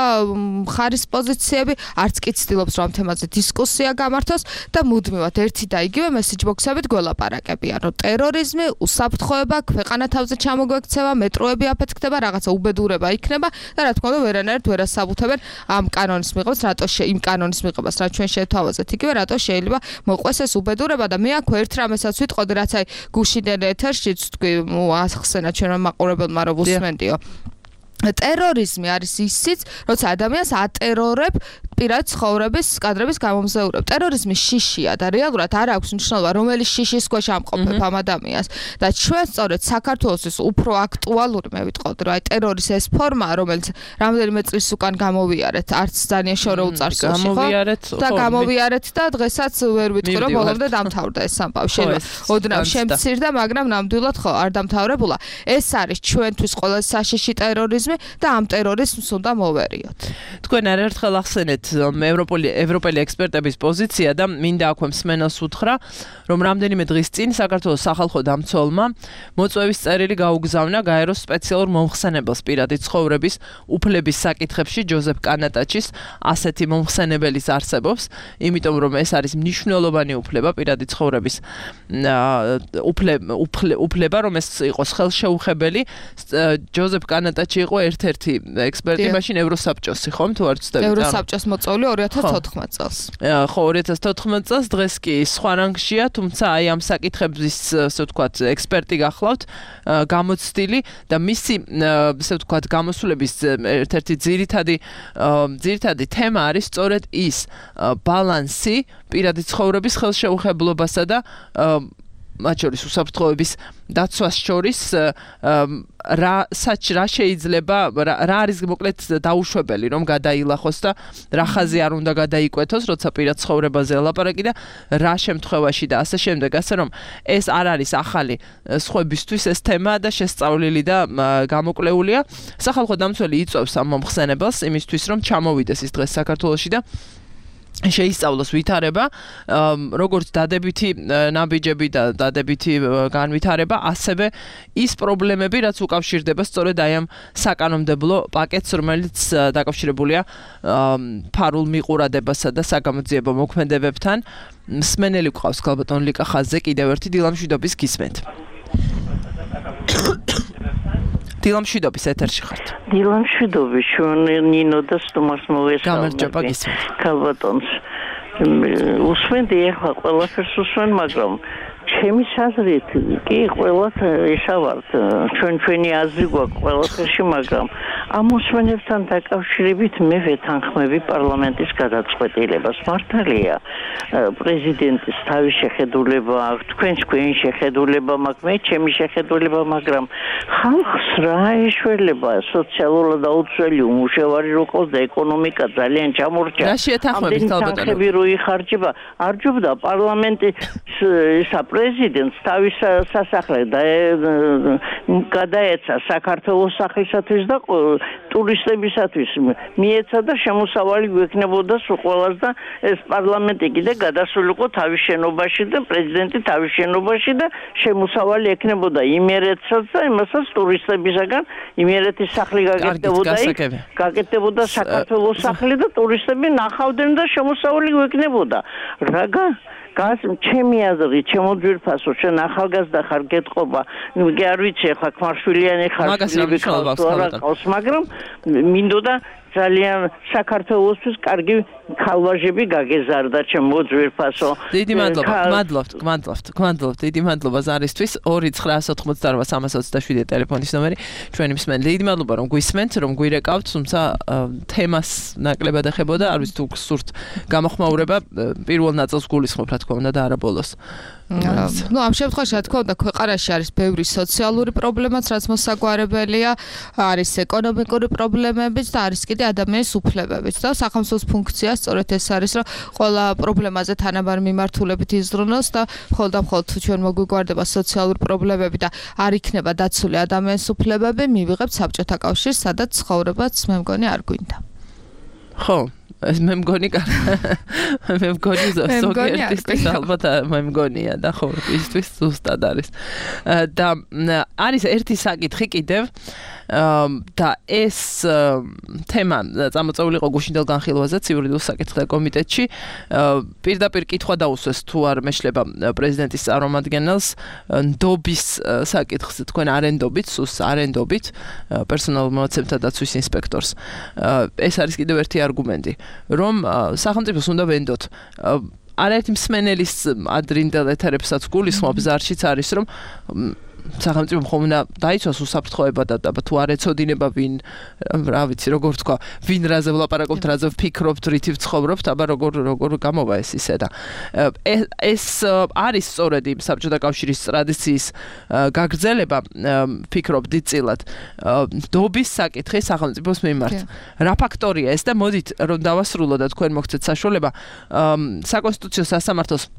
მხარის პოზიციები, არც კი ცდილობს, რომ ამ თემაზე დისკუსია გამართოს და მუდმივად ერთი და იგივე მესეჯ ბოქსებით გველაპარაკებიან, რომ ტერორიზმი, უსაფრთხოება, ქვეყანა თავზე ჩამოგვექცევა, მეტროები აფეთქდება, რაღაცა უბედურება იქნება და რა თქმა უნდა ვერანაირად ვერ ასაბუთებენ ამ კანონის მიღებას, რატო იმ კანონის მიღებას, რაც ჩვენ შევთავაზეთ, იგივე რატო შეიძლება მოყვეს ეს უბედურება და მე აქ ერთ რამესაც ვიტყოდი, რაც აი გუშინდელ ეთერშიც თქვი, ახსენა ჩვენმა მაყურებელმა რომ უსმენდიო. ტერორიზმი არის ისიც, როცა ადამიანს ატერორებ პირად ცხოვრების კადრების გამომზეურებ. ტერორიზმი შიშია და რეალურად არ აქვს მნიშვნელობა, რომელი შიშის ქვეშ ამყოფებ ამ ადამიანს. და ჩვენ სწორედ საქართველოსთვის უფრო აქტუალური მე ვიტყოდი, რომ აი ტერორის ეს ფორმაა, რომელიც რამდენიმე წლის უკან გამოვიარეთ, არც ძალიან შორო უწარსულში, ხო? და გამოვიარეთ და დღესაც ვერ ვიტყვი, რომ ბოლომდე დამთავრდა ეს სამყარო. შეიძლება ოდნავ შემცირდა, მაგრამ ნამდვილად ხო არ დამთავრებულა. ეს არის ჩვენთვის ყველაზე საშიში ტერორიზმი და ამ ტერორიზმს უნდა მოვერიოთ. თქვენ არაერთხელ ახსენეთ ევროპული ევროპელი ექსპერტების პოზიცია და მინდა აქვე მსმენელს უთხრა, რომ რამდენიმე დღის წინ საქართველოს სახალხო დამცველმა მოწვევის წერილი გაუგზავნა გაეროს სპეციალურ მომხსენებელს პირადი ცხოვრების უფლების საკითხებში ჯოზეფ კანატაჩის ასეთი მომხსენებელის არსებობს, იმიტომ რომ ეს არის მნიშვნელოვანი უფლება პირადი ცხოვრების უფლება, რომ ეს იყოს ხელშეუხებელი. ჯოზეფ კანატაჩი იყო ერთ-ერთი ექსპერტი მაშინ ევროსაბჭოსი, ხომ თუ არ ვცდები? ევროსაბჭოს მოწვეული ორი ათას თოთხმეტ წელს. ხო, ორი ათას თოთხმეტ წელს, დღეს კი სხვა რანგშია, თუმცა აი ამ საკითხების, ასე ვთქვათ, ექსპერტი გახლავთ, გამოცდილი და მისი, ასე ვთქვათ, გამოსვლების ერთ-ერთი ძირითადი ძირითადი თემა არის სწორედ ის ბალანსი პირადი ცხოვრების ხელშეუხებლობასა და მათ შორის უსაფრთხოების დაცვას შორის რა საჭ რა შეიძლება რა არის მოკლედ დაუშვებელი რომ გადაილახოს და რა ხაზი არ უნდა გადაიკვეთოს როცა პირად ცხოვრებაზე ელაპარაკი და რა შემთხვევაში და ასე შემდეგ ასე რომ ეს არ არის ახალი სხვებისთვის ეს თემა და შესწავლილი და გამოკვლეულია სახალხო დამცველი იწვევს ამ მომხსენებელს იმისთვის რომ ჩამოვიდეს ის დღეს საქართველოში და შეისწავლოს ვითარება, როგორც დადებითი ნაბიჯები და დადებითი განვითარება, ასევე ის პრობლემები, რაც უკავშირდება სწორედ აი ამ საკანონმდებლო პაკეტს, რომელიც დაკავშირებულია ფარულ მიყურადებასა და საგამოძიებო მოქმედებებთან. მსმენელი გვყავს ქალბატონ ლიკა ხაზზე, კიდევ ერთი დილამშვიდობის გისმენთ. დილამშვიდობის ეთერში ხართ. დილამშვიდობის ჩვენ ნინო და სტუმარს მოვესალმები. გამარჯობა გისმენთ. ქალბატონს უსმენდი ახლა ყველაფერს უსმენ, მაგრამ ჩემი აზრით კი ყველათ ესავართ ჩვენ ჩვენი აზრი გვაქვს ყველაფერში, მაგრამ ამ უსმენებთან დაკავშირებით მე ვეთანხმები პარლამენტის გადაწყვეტილებას. მართალია პრეზიდენტის თავის შეხედულება აქვს, თქვენს თქვენი შეხედულება მაქვს, მე ჩემი შეხედულება, მაგრამ ხალხს რა ეშველება სოციალურად აუცილებელი უმუშევარი რო ყავს და ეკონომიკა ძალიან ჩამორჩა. რა შეეთანხმებით თალბატონო? რო იხარჯება, არჯობდა პარლამენტის ისა პრეზიდენტს თავის სასახლე და გადაეცა საქართველოს სახლისათვის და ტურისტებისათვის მიეცა და შემოსავალი გვექნებოდა ყველას და ეს პარლამენტი კიდე გადასულიყო თავის შენობაში და პრეზიდენტი თავის შენობაში და შემოსავალი ექნებოდა იმერეთსაც და იმასაც ტურისტებისაგან იმერეთის სახლი გაკეთდებოდა იქ გაკეთდებოდა საქართველოს სახლი და ტურისტები ნახავდნენ და შემოსავალი გვექნებოდა რაღა გას ჩემი აზრით ჩემო ძვირფასო ჩვენ ახალგაზრდა ხარ გეტყობა კი არ ვიცი ახლა ქმარშვილიანი ხარ მაგრამ მინდოდა ძალიან საქართველოსთვის კარგი ქალვაჟები გაგეზარდა ჩემო ძვირფასო. დიდი მადლობა, გმადლობთ, გმადლობთ, გმადლობთ, დიდი მადლობა ზარისთვის. ორი ცხრა ოცდაოთხ სამას ოცდაშვიდი ტელეფონის ნომერი ჩვენი მსმენელი. დიდი მადლობა რომ გვისმენთ, რომ გვირეკავთ, თუმცა თემას ნაკლებად ეხებოდა, არ ვიცი თუ გსურთ გამოხმაურება, პირველ ნაწილს გულისხმობ რა თქმა უნდა და არა ბოლოს. ну ამ შემთხვევაში რა თქმა უნდა ქვეყანაში არის ბევრი სოციალური პრობლემაც რაც მოსაგვარებელია არის ეკონომიკური პრობლემებიც და არის კიდე ადამიანის უფლებებიც და სახელმწიფოს ფუნქცია სწორედ ეს არის რომ ყველა პრობლემაზე თანაბარ მიმართულებით იზრუნოს და მხოლოდ და მხოლოდ თუ ჩვენ მოგვიგვარდება სოციალური პრობლემები და არ იქნება დაცული ადამიანის უფლებები მივიღებთ საბჭოთა კავშირს სადაც ცხოვრებაც მე მგონი არ გვინდა ხო მე მგონი მე მგონი ზოგიერთისთვის ალბათ მე მგონია და ხო ისთვის ზუსტად არის და არის ერთი საკითხი კიდევ და ეს თემა წამოწეული იყო გუშინდელ განხილვაზე იურიდიულ საკითხთა კომიტეტში პირდაპირ კითხვა დაუსვეს თუ არ მეშლება პრეზიდენტის წარმომადგენელს ნდობის საკითხს თქვენ არენდობით სუს არენდობით პერსონალურ მონაცემთა დაცვის ინსპექტორს ეს არის კიდევ ერთი არგუმენტი რომ სახელმწიფოს უნდა ვენდოთ არაერთი მსმენელის ადრინდელ ეთერებსაც გულისხმობს ზარშიც არის რომ სახელმწიფო ხომ უნდა დაიცვას უსაფრთხოება და თუ არ ეცოდინება ვინ რა ვიცი როგორ თქვა ვინ რაზე ვლაპარაკობთ რაზე ვფიქრობთ რითი ვცხოვრობთ აბა როგორ როგორ გამოვა ეს ისე და ეს არის სწორედ იმ საბჭოთა კავშირის ტრადიციის გაგრძელება ვფიქრობ დიდწილად ნდობის საკითხი სახელმწიფოს მიმართ რა ფაქტორია ეს და მოდით რომ დავასრულო და თქვენ მოგცეთ საშუალება საკონსტიტუციო სასამართლოს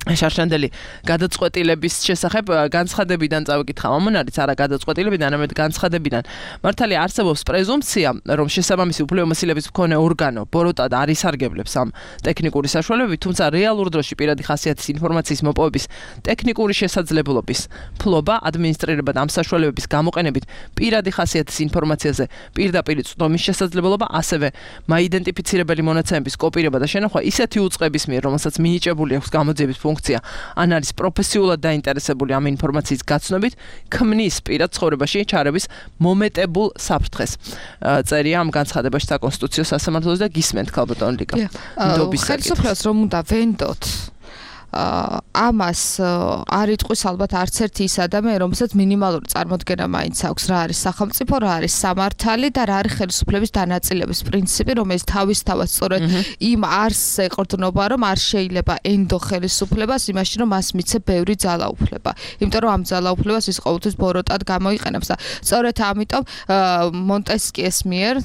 შარშანდელი გადაწყვეტილების შესახებ განცხადებიდან წავიკითხა მომონარიც არა გადაწყვეტილებიდან არამედ განცხადებიდან მართალია არსებობს პრეზუმპცია რომ შესაბამისი უფლებამოსილების მქონე ორგანო ბოროტად არ ისარგებლებს ამ ტექნიკური საშუალებებით თუმცა რეალურ დროში პირადი ხასიათის ინფორმაციის მოპოვების ტექნიკური შესაძლებლობის ფლობა ადმინისტრირებად ამ საშუალებების გამოყენებით პირადი ხასიათის ინფორმაციაზე პირდაპირ წვდომის შესაძლებლობა ასევე მაიდენტიფიცირებელი მონაცემების კოპირება და შენახვა ისეთი უწყების მიერ რომელსაც მინიჭებული აქვს გამოძიების ფუნქცია ან არის პროფესიულად დაინტერესებული ამ ინფორმაციის გაცნობით ქმნის პირად ცხოვრებაში ჩარევის მომეტებულ საფრთხეს. წერია ამ განცხადებაში საკონსტიტუციო სასამართლოს და გისმენთ ქალბატონ ლიკა. ხელისუფლებას რომ უნდა ვენდოთ ამას არ იტყვის ალბათ არც ერთი ის ადამიანი, რომელსაც მინიმალური წარმოდგენა მაინც აქვს, რა არის სახელმწიფო, რა არის სამართალი და რა არის ხელისუფლების დანაწილების პრინციპი, რომელიც თავისთავად სწორედ იმ არსს ეყრდნობა, რომ არ შეიძლება ენდო ხელისუფლებას იმაში, რომ მას მიცე ბევრი ძალაუფლება. იმიტომ რომ ამ ძალაუფლებას ის ყოველთვის ბოროტად გამოიყენებს და სწორედ ამიტომ მონტესკიეს მიერ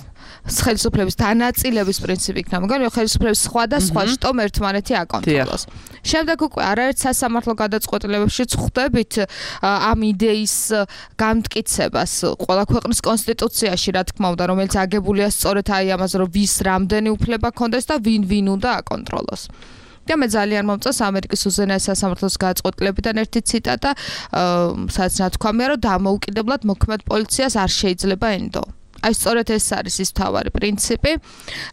ხელისუფლების დანაწილების პრინციპი იქნება, მაგრამ ხელისუფლების სხვა და სხვა შტომ ერთმანეთი აკონტროლოს. შემდეგ უკვე არაერთ სასამართლო გადაწყვეტილებებში ხვდებით ამ იდეის გამტკიცებას ყველა ქვეყნის კონსტიტუციაში, რა თქმა უნდა, რომელიც აგებულია სწორედ აი ამაზე, რომ ვის რამდენი უფლება ჰქონდეს და ვინ ვინ უნდა აკონტროლოს. და მე ძალიან მომწონს ამერიკის უზენაეს სასამართლოს გადაწყვეტილებიდან ერთი ციტატა, სადაც ნათქვამია, რომ დამოუკიდებლად მოქმედ პოლიციას არ შეიძლება ენდო. აი სწორედ ეს არის ის მთავარი პრინციპი,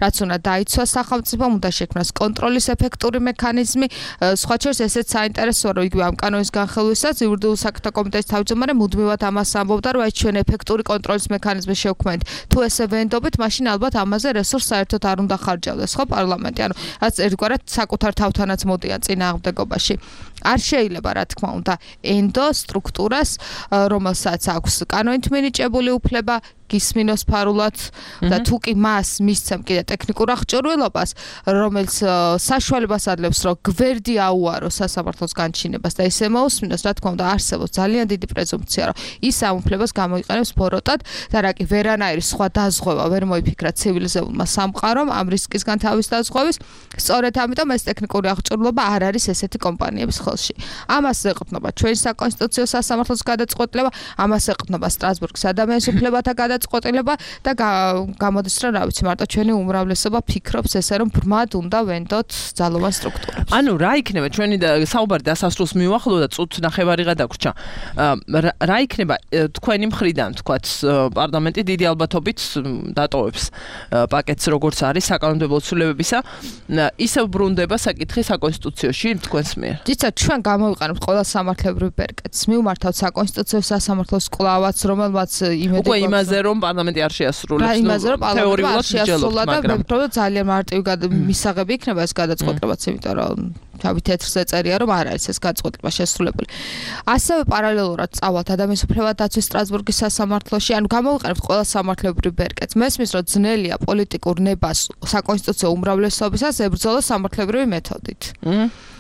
რაც უნდა დაიცვას სახელმწიფომ, უნდა შექმნას კონტროლის ეფექტური მექანიზმი. სხვა შორის ესეც საინტერესოა, რომ იგივე ამ კანონის განხილვისას იურიდიულ საკითხთა კომიტეტის თავმჯდომარე მუდმივად ამას ამბობდა, რომ აი ჩვენ ეფექტური კონტროლის მექანიზმი შევქმნით. თუ ესე ვენდობით, მაშინ ალბათ ამაზე რესურს საერთოდ არ უნდა ხარჯავდეს, ხო, პარლამენტი. ანუ რაც ერთგვარად საკუთარ თავთანაც მოდიან წინააღმდეგობაში. არ შეიძლება, რა თქმა უნდა, ენდო სტრუქტურას, რომელსაც აქვს კანონით მინიჭებული უფლება გისმინოს ფარულად და თუ კი მას მისცემ კიდე ტექნიკურ აღჭურვილობას, რომელიც საშუალებას ადლებს, რომ გვერდი აუაროს სასამართლოს განჩინებას და ისე მოусმინოს, რა თქმა უნდა, არსებობს ძალიან დიდი პრეზუმპცია, რომ ის ამ უფლებას გამოიყენებს ბოროტად და რა კი ვერანაირი სხვა დაზღვევა ვერ მოიფიქრა ცივილიზებულმა სამყარომ ამ რისკისგან თავის დაზღვევის, სწორედ ამიტომ ეს ტექნიკური აღჭურვილობა არ არის ესეთი კომპანიების ხელში. ამას ეყრდნობა ჩვენი საკონსტიტუციო სასამართლოს გადაწყვეტილება, ამას ეყრდნობა სტრასბურგის ადამიანის უფლებათა გადაწყვეტილება და გამოდის რომ რა ვიცი მარტო ჩვენი უმრავლესობა ფიქრობს ესე რომ ბრმად უნდა ვენდოთ ძალოვან სტრუქტურებს. ანუ რა იქნება ჩვენი საუბარი დასასრულს მივახლო და წუთ ნახევარიღა დაგვრჩა. რა იქნება თქვენი მხრიდან თქვათ პარლამენტი დიდი ალბათობით დატოვებს პაკეტს როგორც არის საკანონმდებლო ცვლილებებისა, ისევ ბრუნდება საკითხი საკონსტიტუციაში თქვენს მიერ. ძიცა ჩვენ გამოვიყენებთ ყველა სამართლებრივ ბერკეტს, მივმართავთ საკონსტიტუციო სასამართლოს კვლავაც, რომელმაც იმედი უკვე იმაზე რომ პარლამენტი არ შეასრულებს, თეორიულად შეასრულა და მე ვფიქრობ რომ ძალიან მარტივი მისაღები იქნება ეს გადაწყვეტილებაც, იმიტომ რომ თავი თეთრზე წერია რომ არ არის ეს გადაწყვეტილება შესრულებული. ასევე პარალელურად წავალთ ადამიანის უფლებათა დაცვის სტრასბურგის სასამართლოში, ანუ გამოვიყენებთ ყველა სამართლებრივ ბერკეტს. მესმის რომ ძნელია პოლიტიკურ ნებას საკონსტიტუციო უმრავლესობისას ებრძოლოს სამართლებრივი მეთოდით.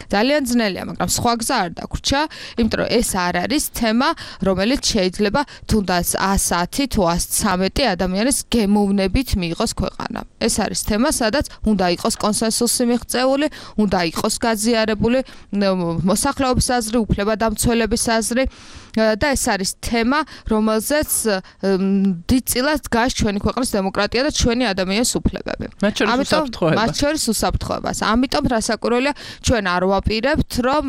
ძალიან ძნელია, მაგრამ სხვა გზა არ დაგვრჩა, იმიტომ რომ ეს არ არის თემა, რომელიც შეიძლება თუნდაც ათი თუ ცხრამეტი ადამიანის გემოვნებით მიიღოს ქვეყანა. ეს არის თემა, სადაც უნდა იყოს კონსენსუსი მიღწეული, უნდა იყოს გაზი განმაღაზიარებული მოსახლეობის აზრი, უფლებადამცველების აზრი და ეს არის თემა, რომელზეც დიდწილად დგას ჩვენი ქვეყნის დემოკრატია და ჩვენი ადამიანის უფლებები. მათ შორის უსაფრთხოებას. ამიტომ რასაკვირველია, ჩვენ არ ვაპირებთ, რომ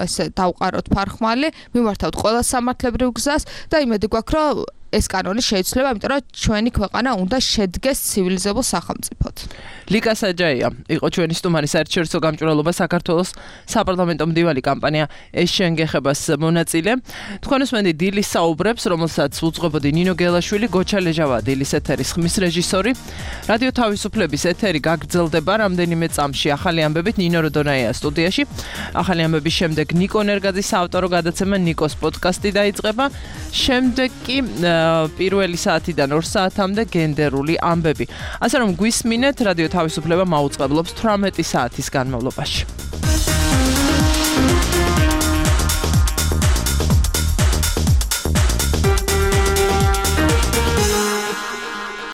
ესე დავყაროთ ფარხმალი, მიმართავთ ყველა სამართლებრივ გზას და იმედი გვაქვს, რომ ეს კანონი შეიცვლება, იმიტომ რომ ჩვენი ქვეყანა უნდა შედგეს ცივილიზებულ სახელმწიფოდ. ლიკა საჯაია იყო ჩვენი სტუმარი საერთაშორისო გამჭვირვალობა საქართველოს საპარლამენტო მდივანი კამპანია ეს შენგეხებას მონაწილე. თქვენ უსმენთ დილის საუბრებს, რომელსაც უძღვებოდი ნინო გელაშვილი, გოჩა ლეჟავა დილის ეთერის ხმის რეჟისორი. რადიო თავისუფლების ეთერი გაგრძელდება რამდენიმე წამში ახალი ამბებით ნინო როდონაია სტუდიაში. ახალი ამბების შემდეგ ნიკო ნერგაძის საავტორო გადაცემა ნიკოს პოდკასტი დაიწყება. შემდეგ კი პირველი საათიდან ორ საათამდე გენდერული ამბები. ასე რომ გვისმინეთ რადიო თავისუფლება მაუწყებლობს თვრამეტი საათის განმავლობაში.